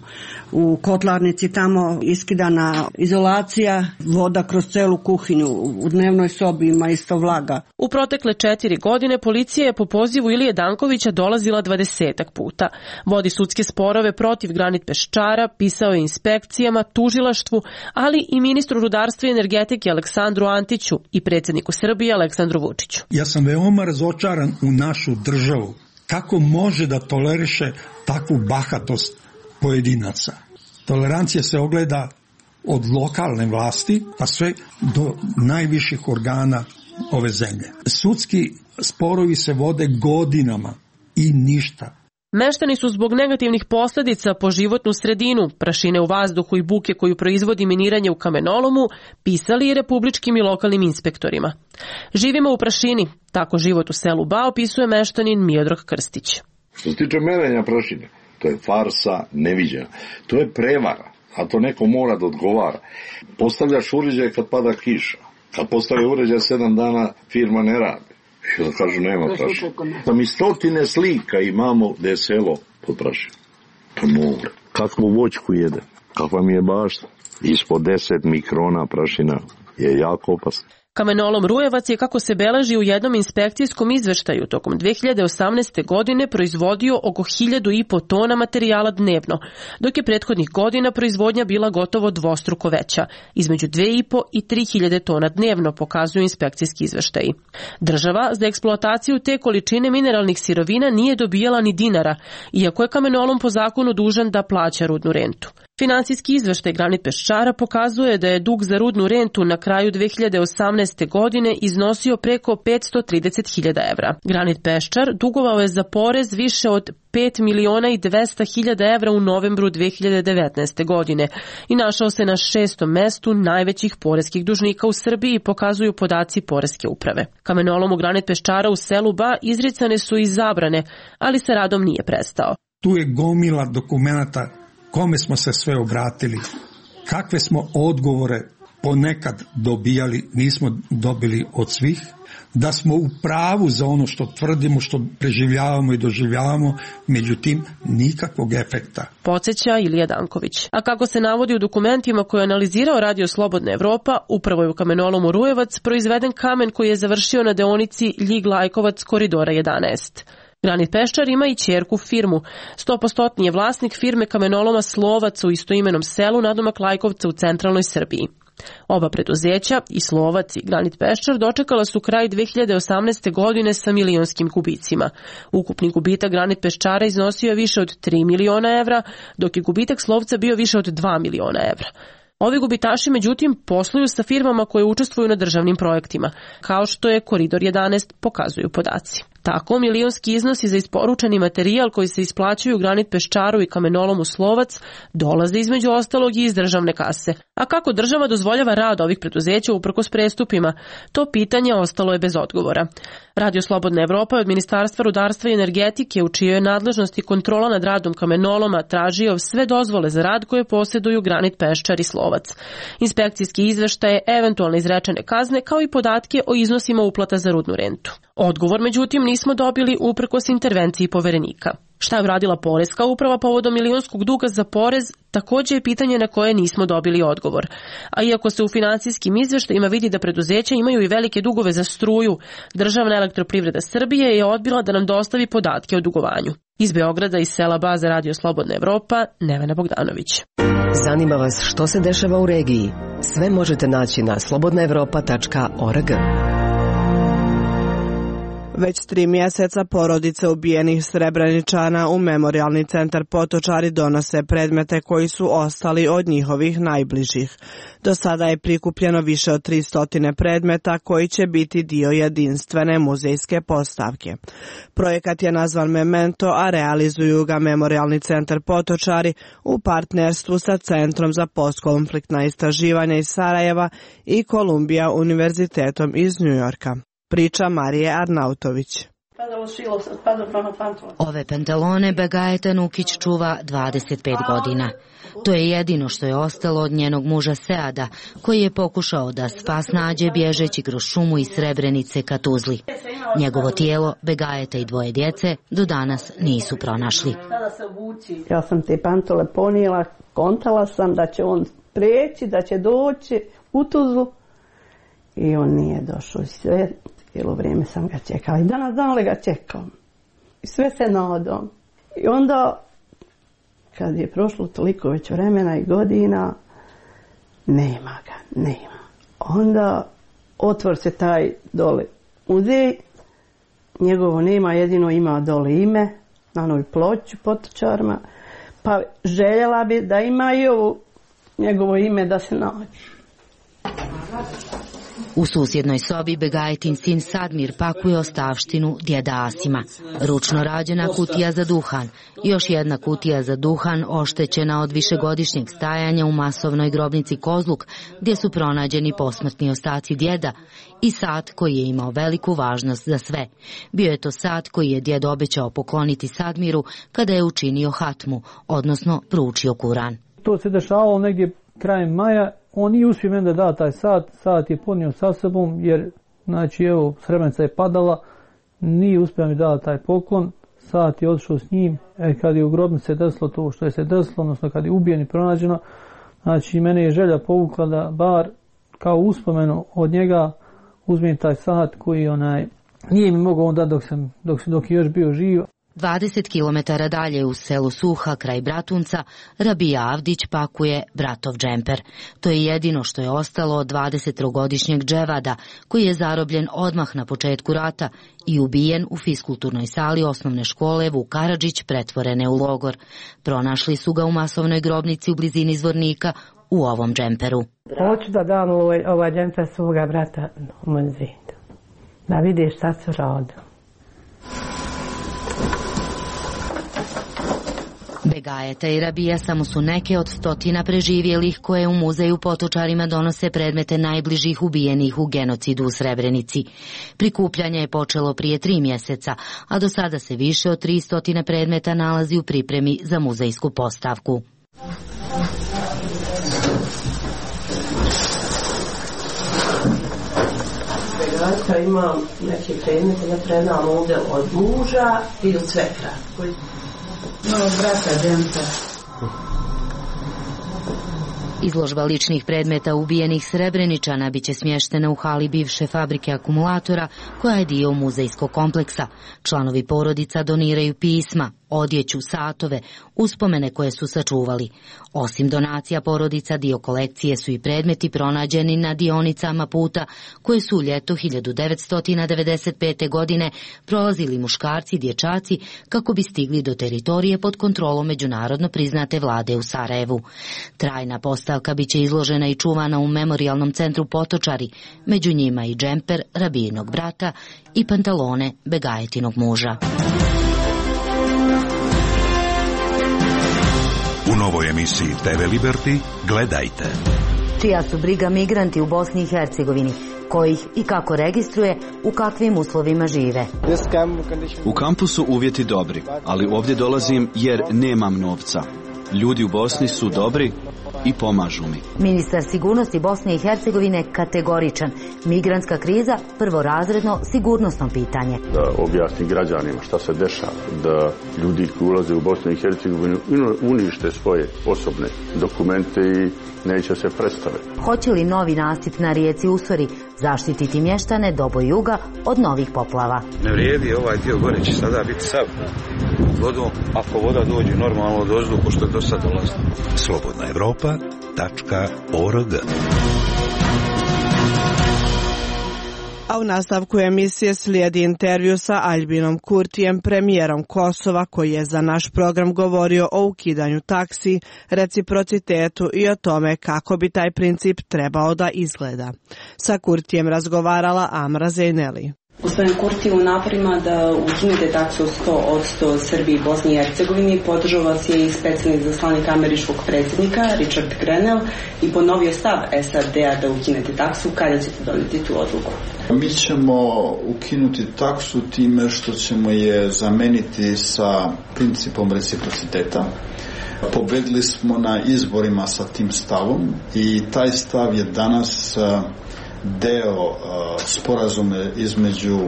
U kotlarnici tamo iskidana izolacija, voda kroz celu kuhinju, u dnevnoj sobi ima isto vlaga. U protekle 4 godine policija je po pozivu Ilije Dankovića dolazila 20 puta. Vodi sudske sporove protiv Granit Peščara, pisao je inspekcijama, tužilaštvu, ali i ministru rudarstva i energetike Aleksandru Antiću i predsjedniku Srbije Aleksandru Vučiću. Ja sam veoma razočaran u našu državu. Kako može da toleriše takvu bahatost pojedinaca? Tolerancija se ogleda od lokalne vlasti pa sve do najviših organa ove zemlje. Sudski sporovi se vode godinama i ništa. Meštani su zbog negativnih posljedica po životnu sredinu, prašine u vazduhu i buke koju proizvodi miniranje u kamenolomu, pisali i republičkim i lokalnim inspektorima. Živimo u prašini, tako život u selu Ba opisuje meštanin Miodrag Krstić. Što se tiče merenja prašine, to je farsa neviđena. To je prevara, a to neko mora da odgovara. Postavljaš uređaj kad pada kiša. Kad postavi uređaj 7 dana, firma ne radi. I da kažu nema prašine. Da mi 100 slika imamo da je selo pod prašinom. To more. Kakvu voćku jede, kakva mi je bašta. Ispod 10 mikrona prašina je jako opasna. Kamenolom Rujevac je, kako se beleži u jednom inspekcijskom izveštaju, tokom 2018. godine proizvodio oko 1.500 tona materijala dnevno, dok je prethodnih godina proizvodnja bila gotovo dvostruko veća, između 2.500 i 3.000 tona dnevno, pokazuju inspekcijski izveštaji. Država za eksploataciju te količine mineralnih sirovina nije dobijala ni dinara, iako je kamenolom po zakonu dužan da plaća rudnu rentu. Finansijski izveštaj Granit Peščara pokazuje da je dug za rudnu rentu na kraju 2018. godine iznosio preko 530.000 evra. Granit Peščar dugovao je za porez više od 5.200.000 evra u novembru 2019. godine i našao se na 6. mestu najvećih poreskih dužnika u Srbiji, pokazuju podaci poreske uprave. Kamenolomu Granit Peščara u selu Ba izricane su i zabrane, ali sa radom nije prestao. Tu je gomila dokumenata kome smo se sve obratili, kakve smo odgovore ponekad dobijali, nismo dobili od svih, da smo u pravu za ono što tvrdimo, što preživljavamo i doživljavamo, međutim nikakvog efekta. Podsjeća Ilija Danković. A kako se navodi u dokumentima koje je analizirao Radio Slobodna Evropa, upravo je u kamenolomu Rujevac proizveden kamen koji je završio na deonici Ljig-Lajkovac koridora 11. Granit Peščar ima i ćerku firmu. 100% je vlasnik firme kamenoloma Slovac u istoimenom selu nadomak Lajkovca u centralnoj Srbiji. Oba preduzeća, i Slovac i Granit Peščar, dočekala su kraj 2018. godine sa milionskim gubicima. Ukupni gubitak Granit Peščara iznosio je više od 3 miliona evra, dok je gubitak Slovca bio više od 2 miliona evra. Ovi gubitaši, međutim, posluju sa firmama koje učestvuju na državnim projektima, kao što je Koridor 11, pokazuju podaci. Tako, milionski iznosi za isporučeni materijal koji se isplaćuju Granit Peščaru i kamenolomu Slovac dolaze između ostalog i iz državne kase. A kako država dozvoljava rad ovih preduzeća uprkos prestupima? To pitanje ostalo je bez odgovora. Radio Slobodna Evropa je od Ministarstva rudarstva i energetike, u čijoj je nadležnosti kontrola nad radom kamenoloma, tražio sve dozvole za rad koje posjeduju Granit Peščar i Slovac. Inspekcijski izveštaje, eventualne izrečene kazne, kao i podatke o iznosima uplata za rudnu rentu. Odgovor, međutim, nismo dobili uprkos intervenciji poverenika. Šta je uradila poreska uprava povodom milionskog duga za porez, također je pitanje na koje nismo dobili odgovor. A iako se u finansijskim izveštajima vidi da preduzeća imaju i velike dugove za struju, Državna elektroprivreda Srbije je odbila da nam dostavi podatke o dugovanju. Iz Beograda, iz sela Ba za Radio Slobodna Evropa, Nevena Bogdanović. Zanima vas što se dešava u regiji? Sve možete naći na slobodnaevropa.org. Već 3 mjeseca porodice ubijenih Srebreničana u Memorijalni centar Potočari donose predmete koji su ostali od njihovih najbližih. Do sada je prikupljeno više od 300 predmeta koji će biti dio jedinstvene muzejske postavke. Projekat je nazvan Memento, a realizuju ga Memorijalni centar Potočari u partnerstvu sa Centrom za postkonfliktna istraživanja iz Sarajeva i Columbia univerzitetom iz Njujorka. Priča Marije Arnautović. Ove pantalone Begajeta Nukić čuva 25 godina. To je jedino što je ostalo od njenog muža Seada, koji je pokušao da spas nađe bježeći kroz šumu iz Srebrenice ka Tuzli. Njegovo tijelo, Begajeta i 2 djece do danas nisu pronašli. Ja sam te pantole ponijela, kontala sam da će on preći, da će doći u Tuzlu i on nije došao. Sve cijelo vrijeme sam ga čekala i danas dan li ga čekam. I sve se nadam. I onda, kad je prošlo toliko već vremena i godina, nema ga, nema. Onda otvor se taj dole muzej, njegovo nema, jedino ima dole ime, na onoj ploči Potočarima, pa željela bi da ima i ovo njegovo ime da se nađe. U susjednoj sobi Begajetin sin Sadmir pakuje ostavštinu djeda Asima. Ručno rađena kutija za duhan, još jedna kutija za duhan oštećena od višegodišnjeg stajanja u masovnoj grobnici Kozluk, gdje su pronađeni posmrtni ostaci djeda, i sat koji je imao veliku važnost za sve. Bio je to sat koji je djed obećao pokloniti Sadmiru kada je učinio hatmu, odnosno proučio Kuran. To se dešavalo negdje krajem maja. On nije uspio meni da da taj sat je ponio sa sobom, jer, znači, evo, Srebrenica je padala, nije uspio mi da taj poklon, sat je otišao s njim, kad je u grobnici se desilo to što je se desilo, odnosno kad je ubijen i pronađeno, znači, mene je želja povukla da bar kao uspomenu od njega uzmem taj sat koji nije mi mogao on dati dok je još bio živ. 20 km dalje u selu Suha, kraj Bratunca, Rabija Avdić pakuje bratov džemper. To je jedino što je ostalo od 20-godišnjeg Dževada, koji je zarobljen odmah na početku rata i ubijen u fiskulturnoj sali osnovne škole Vuk Karadžić, pretvorene u logor. Pronašli su ga u masovnoj grobnici u blizini Zvornika u ovom džemperu. Hoću da dam ovaj džemper svoga brata u muzej, da vidiš šta su radili. Begajeta i Rabija samo su neke od 100 preživjelih koje u muzeju Potočarima donose predmete najbližih ubijenih u genocidu u Srebrenici. Prikupljanje je počelo prije 3 mjeseca, a do sada se više od 300 predmeta nalazi u pripremi za muzejsku postavku. Begajeta ima neke predmete, ja predam ovdje od muža i od svekra. Izložba ličnih predmeta ubijenih Srebreničana biće smještena u hali bivše fabrike akumulatora, koja je dio muzejskog kompleksa. Članovi porodica doniraju pisma, odjeću, satove, uspomene koje su sačuvali. Osim donacija porodica, dio kolekcije su i predmeti pronađeni na dionicama puta koje su u ljeto 1995. godine prolazili muškarci i dječaci kako bi stigli do teritorije pod kontrolom međunarodno priznate vlade u Sarajevu. Trajna postavka biće izložena i čuvana u Memorijalnom centru Potočari, među njima i džemper Rabijinog brata i pantalone Begajetinog muža. U novoj emisiji TV Liberty gledajte. Čija su briga migranti u Bosni i Hercegovini, kojih i kako registruje, u kakvim uslovima žive. U kampu su uvjeti dobri, ali ovdje dolazim jer nemam novca. Ljudi u Bosni su dobri i pomažu mi. Ministar sigurnosti Bosne i Hercegovine kategoričan. Migrantska kriza prvorazredno sigurnosno pitanje. Da objasni građanima šta se dešava, da ljudi koji ulaze u Bosnu i Hercegovinu unište svoje osobne dokumente i neće se predstaviti. Hoće li novi nasip na rijeci Usori zaštititi mještane Dobo juga od novih poplava? Ne vrijedi, ovaj dio gore će sada biti sav vodom, ako voda dođe normalno od ozduhu što je do sad dolazilo. Slobodnaevropa.org A u nastavku emisije slijedi intervju sa Aljbinom Kurtijem, premijerom Kosova, koji je za naš program govorio o ukidanju taksi, reciprocitetu i o tome kako bi taj princip trebao da izgleda. Sa Kurtijem razgovarala Amra Zejneli. Gospodin Kurti, u naporima da ukinete taksu 100% Srbiji i Bosni i Hercegovini podržao vas je i specijalni zaslanik američkog predsjednika Richard Grenell i ponovio stav SAD-a da ukinete taksu. Kada ćete donijeti tu odluku? Mi ćemo ukinuti taksu time što ćemo je zameniti sa principom reciprociteta. Pobedili smo na izborima sa tim stavom i taj stav je danas deo sporazuma između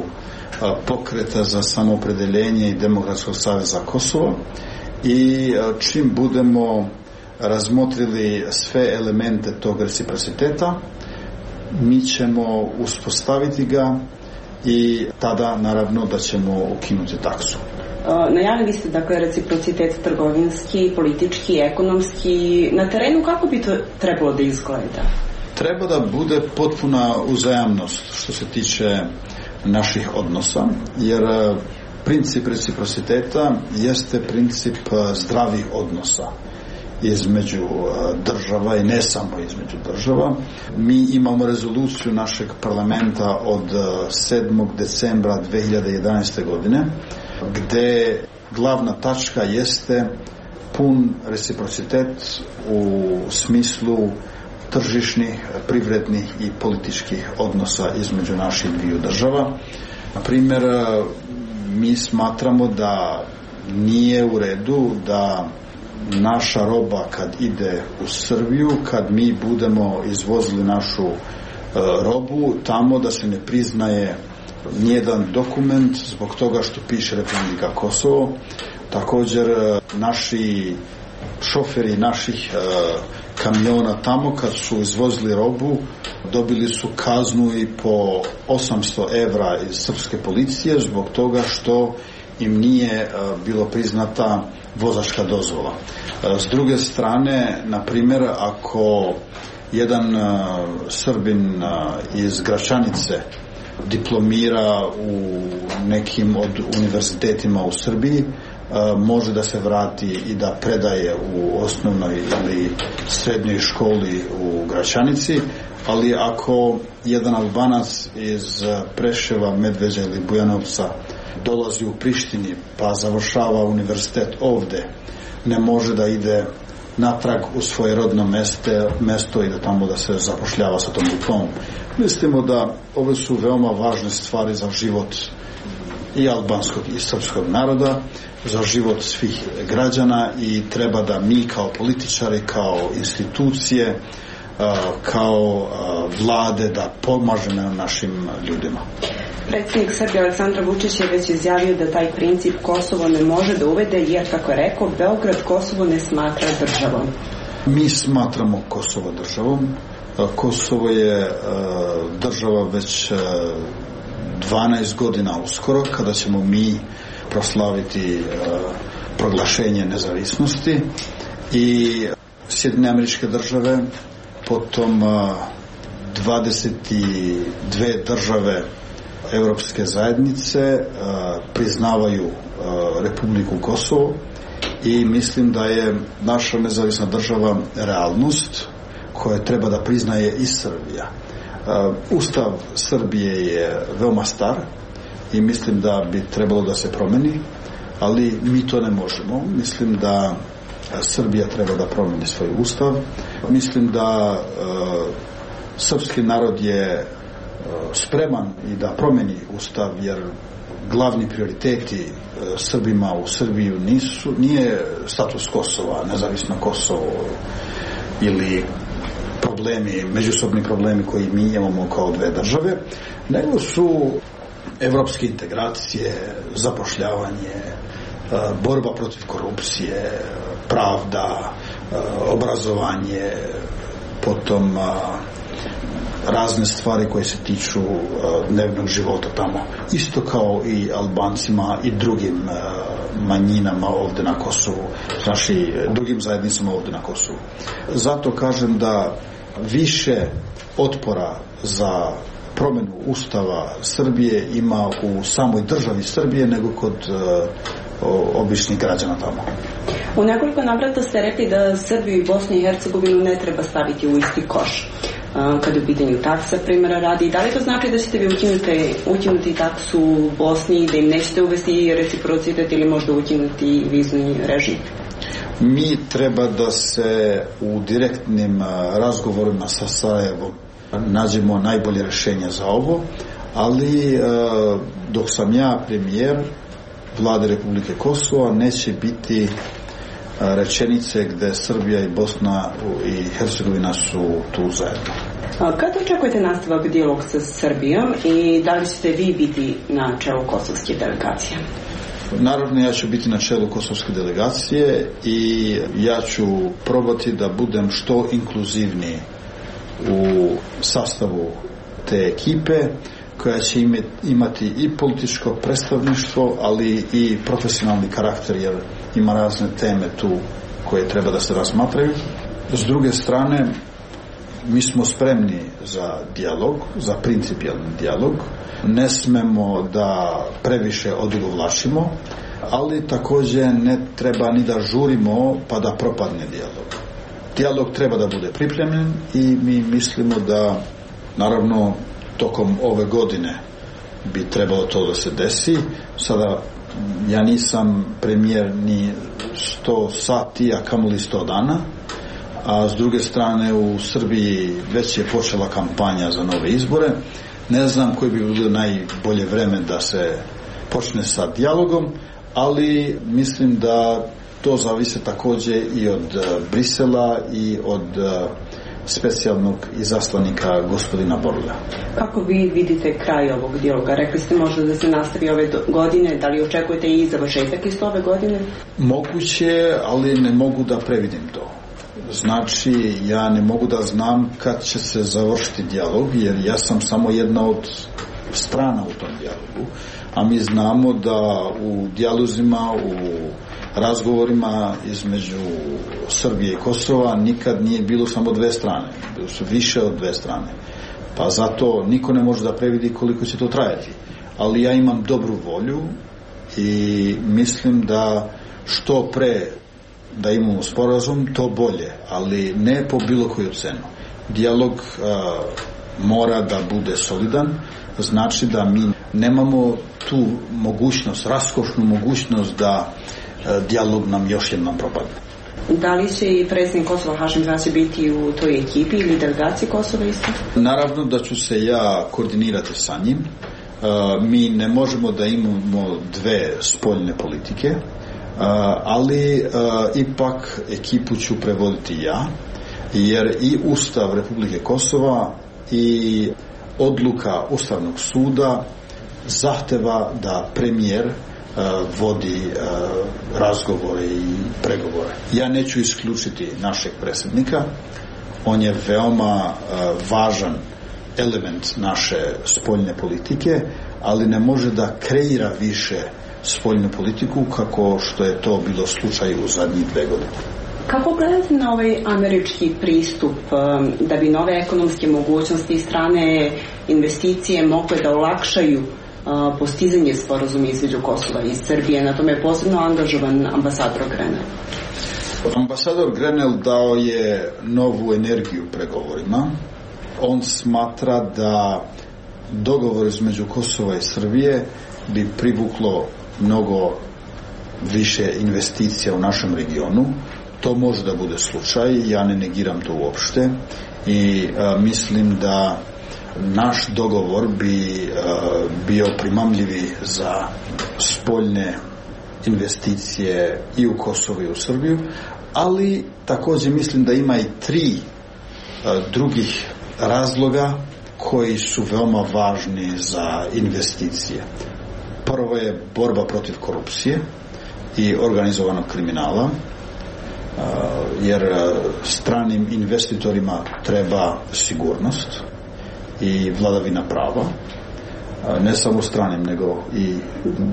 Pokreta za samoopredeljenje i Demokratskog saveza Kosova i čim budemo razmotrili sve elemente tog reciprociteta, mi ćemo uspostaviti ga i tada naravno da ćemo ukinuti taksu. Najavili ste dakle reciprocitet trgovinski, politički, ekonomski. Na terenu kako bi to trebalo da izgleda? Treba da bude potpuna uzajamnost što se tiče naših odnosa, jer princip reciprociteta jeste princip zdravih odnosa između država i ne samo između država. Mi imamo rezoluciju našeg parlamenta od 7. decembra 2011. godine gde glavna tačka jeste pun reciprocitet u smislu tržišnih, privrednih i političkih odnosa između naših dviju država. Na primjer, mi smatramo da nije u redu da naša roba kad ide u Srbiju, kad mi budemo izvozili našu robu, tamo da se ne priznaje nijedan dokument zbog toga što piše Republika Kosovo. Također, naši šoferi naših kamiona tamo kad su izvozili robu dobili su kaznu i po 800 evra iz srpske policije zbog toga što im nije bilo priznata vozačka dozvola. S druge strane, na primjer, ako jedan Srbin iz Gračanice diplomira u nekim od univerzitetima u Srbiji, može da se vrati i da predaje u osnovnoj ili srednjoj školi u Gračanici, ali ako jedan Albanac iz Preševa, Medveđa ili Bujanovca dolazi u Prištini pa završava univerzitet ovde, ne može da ide natrag u svoje rodno mesto i da tamo da se zapošljava sa tom diplomom. Mislimo da ove su veoma važne stvari za život i albanskog i srpskog naroda, za život svih građana i treba da mi kao političari, kao institucije, kao vlade da pomažemo našim ljudima. Predsjednik Srbije Aleksandar Vučić je već izjavio da taj princip Kosovo ne može da uvede jer, kako je rekao, Beograd Kosovo ne smatra državom. Mi smatramo Kosovo državom. Kosovo je država već 12 godina uskoro, kada ćemo mi proslaviti proglašenje nezavisnosti i Sjedinjene Američke Države, potom 22 države Evropske zajednice priznavaju Republiku Kosovo i mislim da je naša nezavisna država realnost koja treba da priznaje i Srbija. Ustav Srbije je veoma star i mislim da bi trebalo da se promeni, ali mi to ne možemo. Mislim da Srbija treba da promeni svoj ustav. Mislim da srpski narod je spreman i da promeni ustav, jer glavni prioriteti Srbima u Srbiju nije status Kosova, nezavisno Kosovo ili međusobni problemi koji mi imamo kao dve države, nego su evropske integracije, zapošljavanje, borba protiv korupcije, pravda, obrazovanje, potom razne stvari koje se tiču dnevnog života tamo. Isto kao i Albancima i drugim manjinama ovde na Kosovu, znači drugim zajednicama ovde na Kosovu. Zato kažem da više otpora za promjenu Ustava Srbije ima u samoj državi Srbije nego kod običnih građana tamo. U nekoliko navrata ste rekli da Srbiju i Bosnu i Hercegovinu ne treba staviti u isti koš. Kada u pitanju taksa, primjera radi, da li to znači da ćete vi ukinuti taksu u Bosni, da im nećete uvesti reciprocitet ili možda ukinuti vizni režim? Mi treba da se u direktnim razgovorima sa Sarajevom nađemo najbolje rješenje za ovo, ali dok sam ja premijer Vlade Republike Kosova neće biti rečenice gde Srbija i Bosna i Hercegovina su tu zajedno. Kada očekujete nastavak dijalog sa Srbijom i da li ćete vi biti na čelu kosovske delegacije? Naravno, ja ću biti na čelu kosovske delegacije i ja ću probati da budem što inkluzivniji u sastavu te ekipe koja će imati i političko predstavništvo, ali i profesionalni karakter, jer ima razne teme tu koje treba da se razmatraju. S druge strane, mi smo spremni za dijalog, za principijalni dijalog. Ne smemo da previše odugovlačimo, ali također ne treba ni da žurimo pa da propadne dijalog. Dijalog treba da bude pripremljen i mi mislimo da, naravno, tokom ove godine bi trebalo to da se desi. Sada ja nisam premijer ni 100 sati, a kamoli 100 dana, a s druge strane u Srbiji već je počela kampanja za nove izbore. Ne znam koji bi bilo najbolje vreme da se počne sa dijalogom, ali mislim da to zavise također i od Brisela i od specijalnog izaslanika gospodina Borlja. Kako vi vidite kraj ovog dijaloga? Rekli ste možda da se nastavi ove godine, da li očekujete i završetak isto ove godine? Moguće, ali ne mogu da previdim to. Znači, ja ne mogu da znam kad će se završiti dijalog, jer ja sam samo jedna od strana u tom dijalogu, a mi znamo da u dijalozima, u razgovorima između Srbije i Kosova nikad nije bilo samo dve strane, bilo su više od dve strane, pa zato niko ne može da previdi koliko će to trajati, ali ja imam dobru volju i mislim da što pre da imamo sporazum, to bolje, ali ne po bilo koju cenu. Dijalog mora da bude solidan, znači da mi nemamo tu mogućnost, raskošnu mogućnost da dijalog nam još jednom propadne. Da li će i predsjednik Kosova Hašim Tači biti u toj ekipi ili delegaciji Kosova isto? Naravno da ću se ja koordinirati sa njim. Mi ne možemo da imamo dve spoljne politike, ali ipak ekipu ću prevoditi ja, jer i Ustav Republike Kosova i odluka Ustavnog suda zahteva da premijer vodi razgovore i pregovore. Ja neću isključiti našeg predsjednika, on je veoma važan element naše spoljne politike, ali ne može da kreira više spoljnu politiku kako što je to bilo slučaj u zadnjih 2 godine. Kako gledate na ovaj američki pristup da bi nove ekonomske mogućnosti i strane investicije mogle da olakšaju postizanje sporazuma između Kosova i Srbije? Na tome je posebno angažovan ambasador Grenell. Ambasador Grenell dao je novu energiju pregovorima. On smatra da dogovor između Kosova i Srbije bi privuklo mnogo više investicija u našem regionu. To može da bude slučaj, ja ne negiram to uopšte i mislim da naš dogovor bi bio primamljivi za spoljne investicije i u Kosovo i u Srbiju, ali također mislim da ima i 3 drugih razloga koji su veoma važni za investicije. Prvo je borba protiv korupcije i organizovanog kriminala, jer stranim investitorima treba sigurnost i vladavina prava, ne samo stranim nego i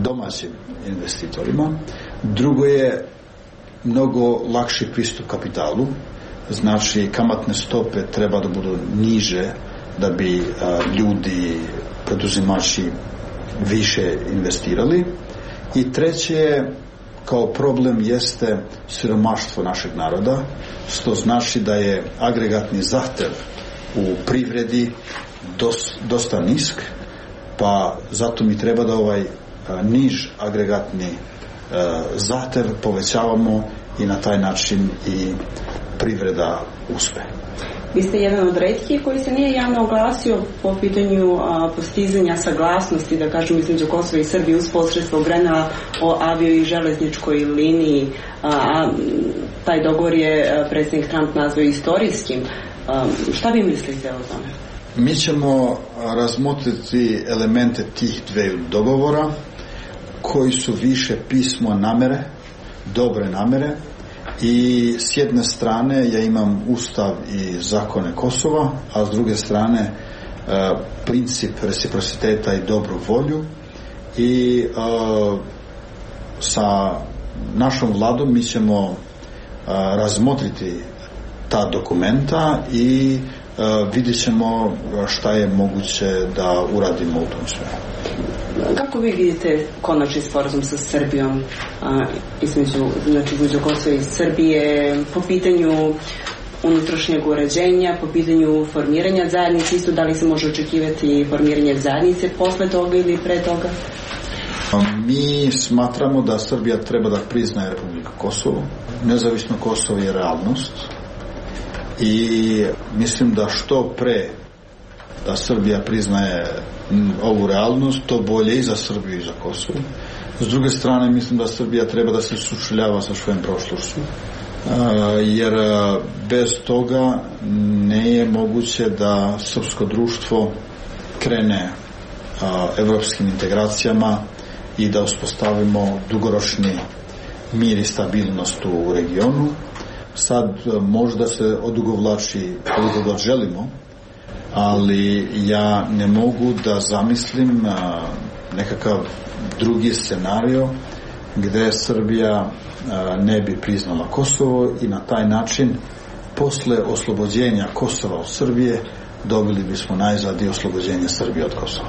domaćim investitorima. Drugo je mnogo lakši pristup kapitalu, znači kamatne stope treba da budu niže da bi ljudi, preduzimači više investirali. I treće, kao problem jeste siromaštvo našeg naroda, što znači da je agregatni zahtev u privredi dosta nisk, pa zato mi treba da ovaj niž agregatni zahtev povećavamo i na taj način i privreda uspe. Vi ste jedan od retkih koji se nije javno oglasio po pitanju postizanja saglasnosti, da kažem, između Kosova i Srbije uz posredstvo Grenela o avio i železničkoj liniji. Taj dogovor je predsjednik Trump nazvao istorijskim. Šta vi mislite o tome? Mi ćemo razmotriti elemente tih dveju dogovora koji su više pismo namere, dobre namere, i s jedne strane ja imam ustav i zakone Kosova, a s druge strane princip reciprociteta i dobru volju, i sa našom vladom mi ćemo razmotriti ta dokumenta i vidjet ćemo šta je moguće da uradimo u tom svemu. Kako vi vidite konačni sporazum sa Srbijom, između Kosova i Srbije po pitanju unutrašnjeg uređenja, po pitanju formiranja zajednice, isto da li se može očekivati formiranje zajednice posle toga ili pre toga? Mi smatramo da Srbija treba da priznaje Republiku Kosovo. Nezavisno Kosovo je realnost i mislim da što pre da Srbija priznaje ovu realnost, to bolje i za Srbiju i za Kosovo. S druge strane, mislim da Srbija treba da se sučeljava sa svojom prošlošću, jer bez toga ne je moguće da srpsko društvo krene evropskim integracijama i da uspostavimo dugoročni mir i stabilnost u regionu. Sad možda se odugovlači koliko god želimo, ali ja ne mogu da zamislim nekakav drugi scenario gde Srbija ne bi priznala Kosovo i na taj način posle oslobođenja Kosova od Srbije dobili bismo najzad i oslobođenje Srbije od Kosova.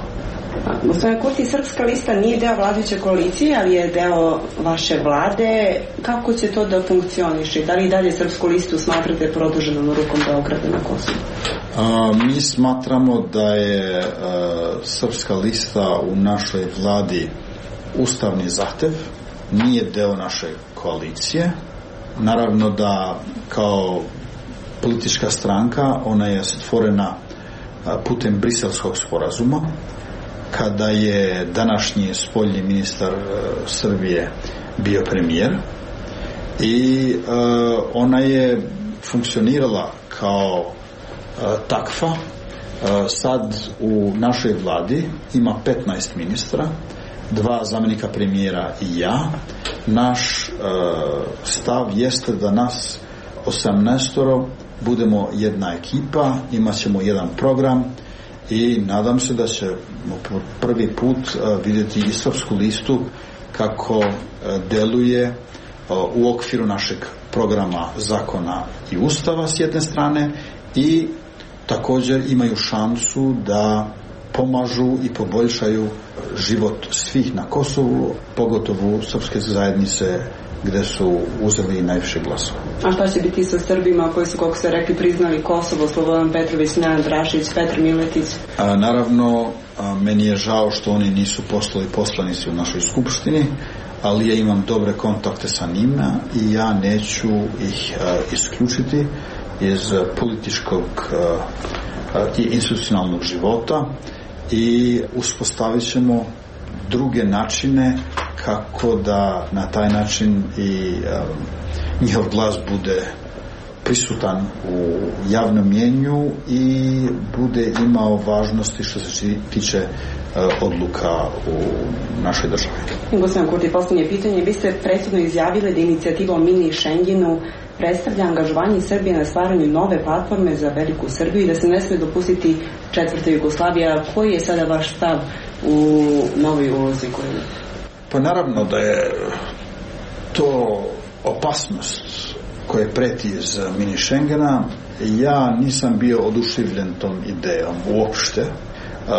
Gospodine Kurti, Srpska lista nije deo vladajuće koalicije, ali je deo vaše vlade. Kako će to da funkcioniše? Da li i dalje Srpsku listu smatrate produženom rukom Beograda na Kosovu? Mi smatramo da je Srpska lista u našoj vladi ustavni zahtev, nije deo naše koalicije. Naravno da kao politička stranka ona je stvorena putem Briselskog sporazuma, kada je današnji spoljni ministar Srbije bio premijer, i ona je funkcionirala kao takva. Sad u našoj vladi ima 15 ministra, 2 zamjenika premijera i ja. Naš stav jeste da nas 18 budemo jedna ekipa, imat ćemo jedan program i nadam se da ćemo prvi put vidjeti i Srpsku listu kako deluje u okviru našeg programa zakona i ustava s jedne strane, i također imaju šansu da pomažu i poboljšaju život svih na Kosovu, pogotovo srpske zajednice gde su uzeli najviše glasova. A šta će biti sa Srbima koji su, kako ste rekli, priznali Kosovo, Slobodan Petrović, Nenad Rašić, Petar Miletić? Naravno, meni je žao što oni nisu postali poslanici u našoj skupštini, ali ja imam dobre kontakte sa njima i ja neću ih isključiti iz političkog i institucionalnog života, i uspostavit ćemo druge načine kako da na taj način i njihov glas bude prisutan u javnom mjenju i bude imao važnosti što se tiče odluka u našoj državi. Gospodin Kurti, posljednje pitanje. Vi ste prethodno izjavili da inicijativa o mini Schengenu predstavlja angažovanje Srbije na stvaranju nove platforme za veliku Srbiju i da se ne sme dopustiti četvrta Jugoslavija. Koji je sada vaš stav u novoj ulozi koju? Pa naravno da je to opasnost koje preti iz mini Schengena, ja nisam bio oduševljen tom idejom uopšte.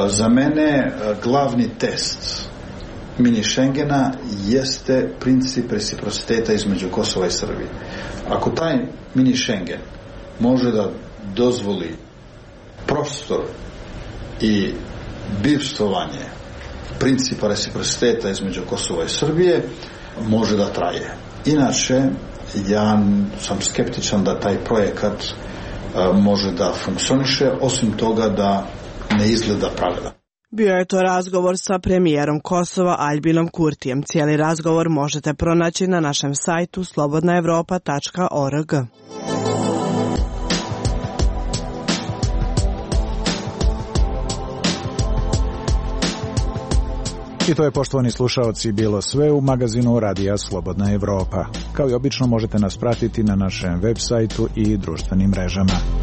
Za mene glavni test mini Schengena jeste princip reciprociteta između Kosova i Srbije. Ako taj mini Schengen može da dozvoli prostor i bivstvovanje principa reciprociteta između Kosova i Srbije, može da traje. Inače, ja sam skeptičan da taj projekat može da funkcioniše, osim toga da ne izgleda pravedan. Bio je to razgovor sa premijerom Kosova Aljbinom Kurtijem. Cijeli razgovor možete pronaći na našem sajtu slobodnaevropa.org. I to je, poštovani slušaoci, bilo sve u magazinu Radija Slobodna Evropa. Kao i obično možete nas pratiti na našem web sajtu i društvenim mrežama.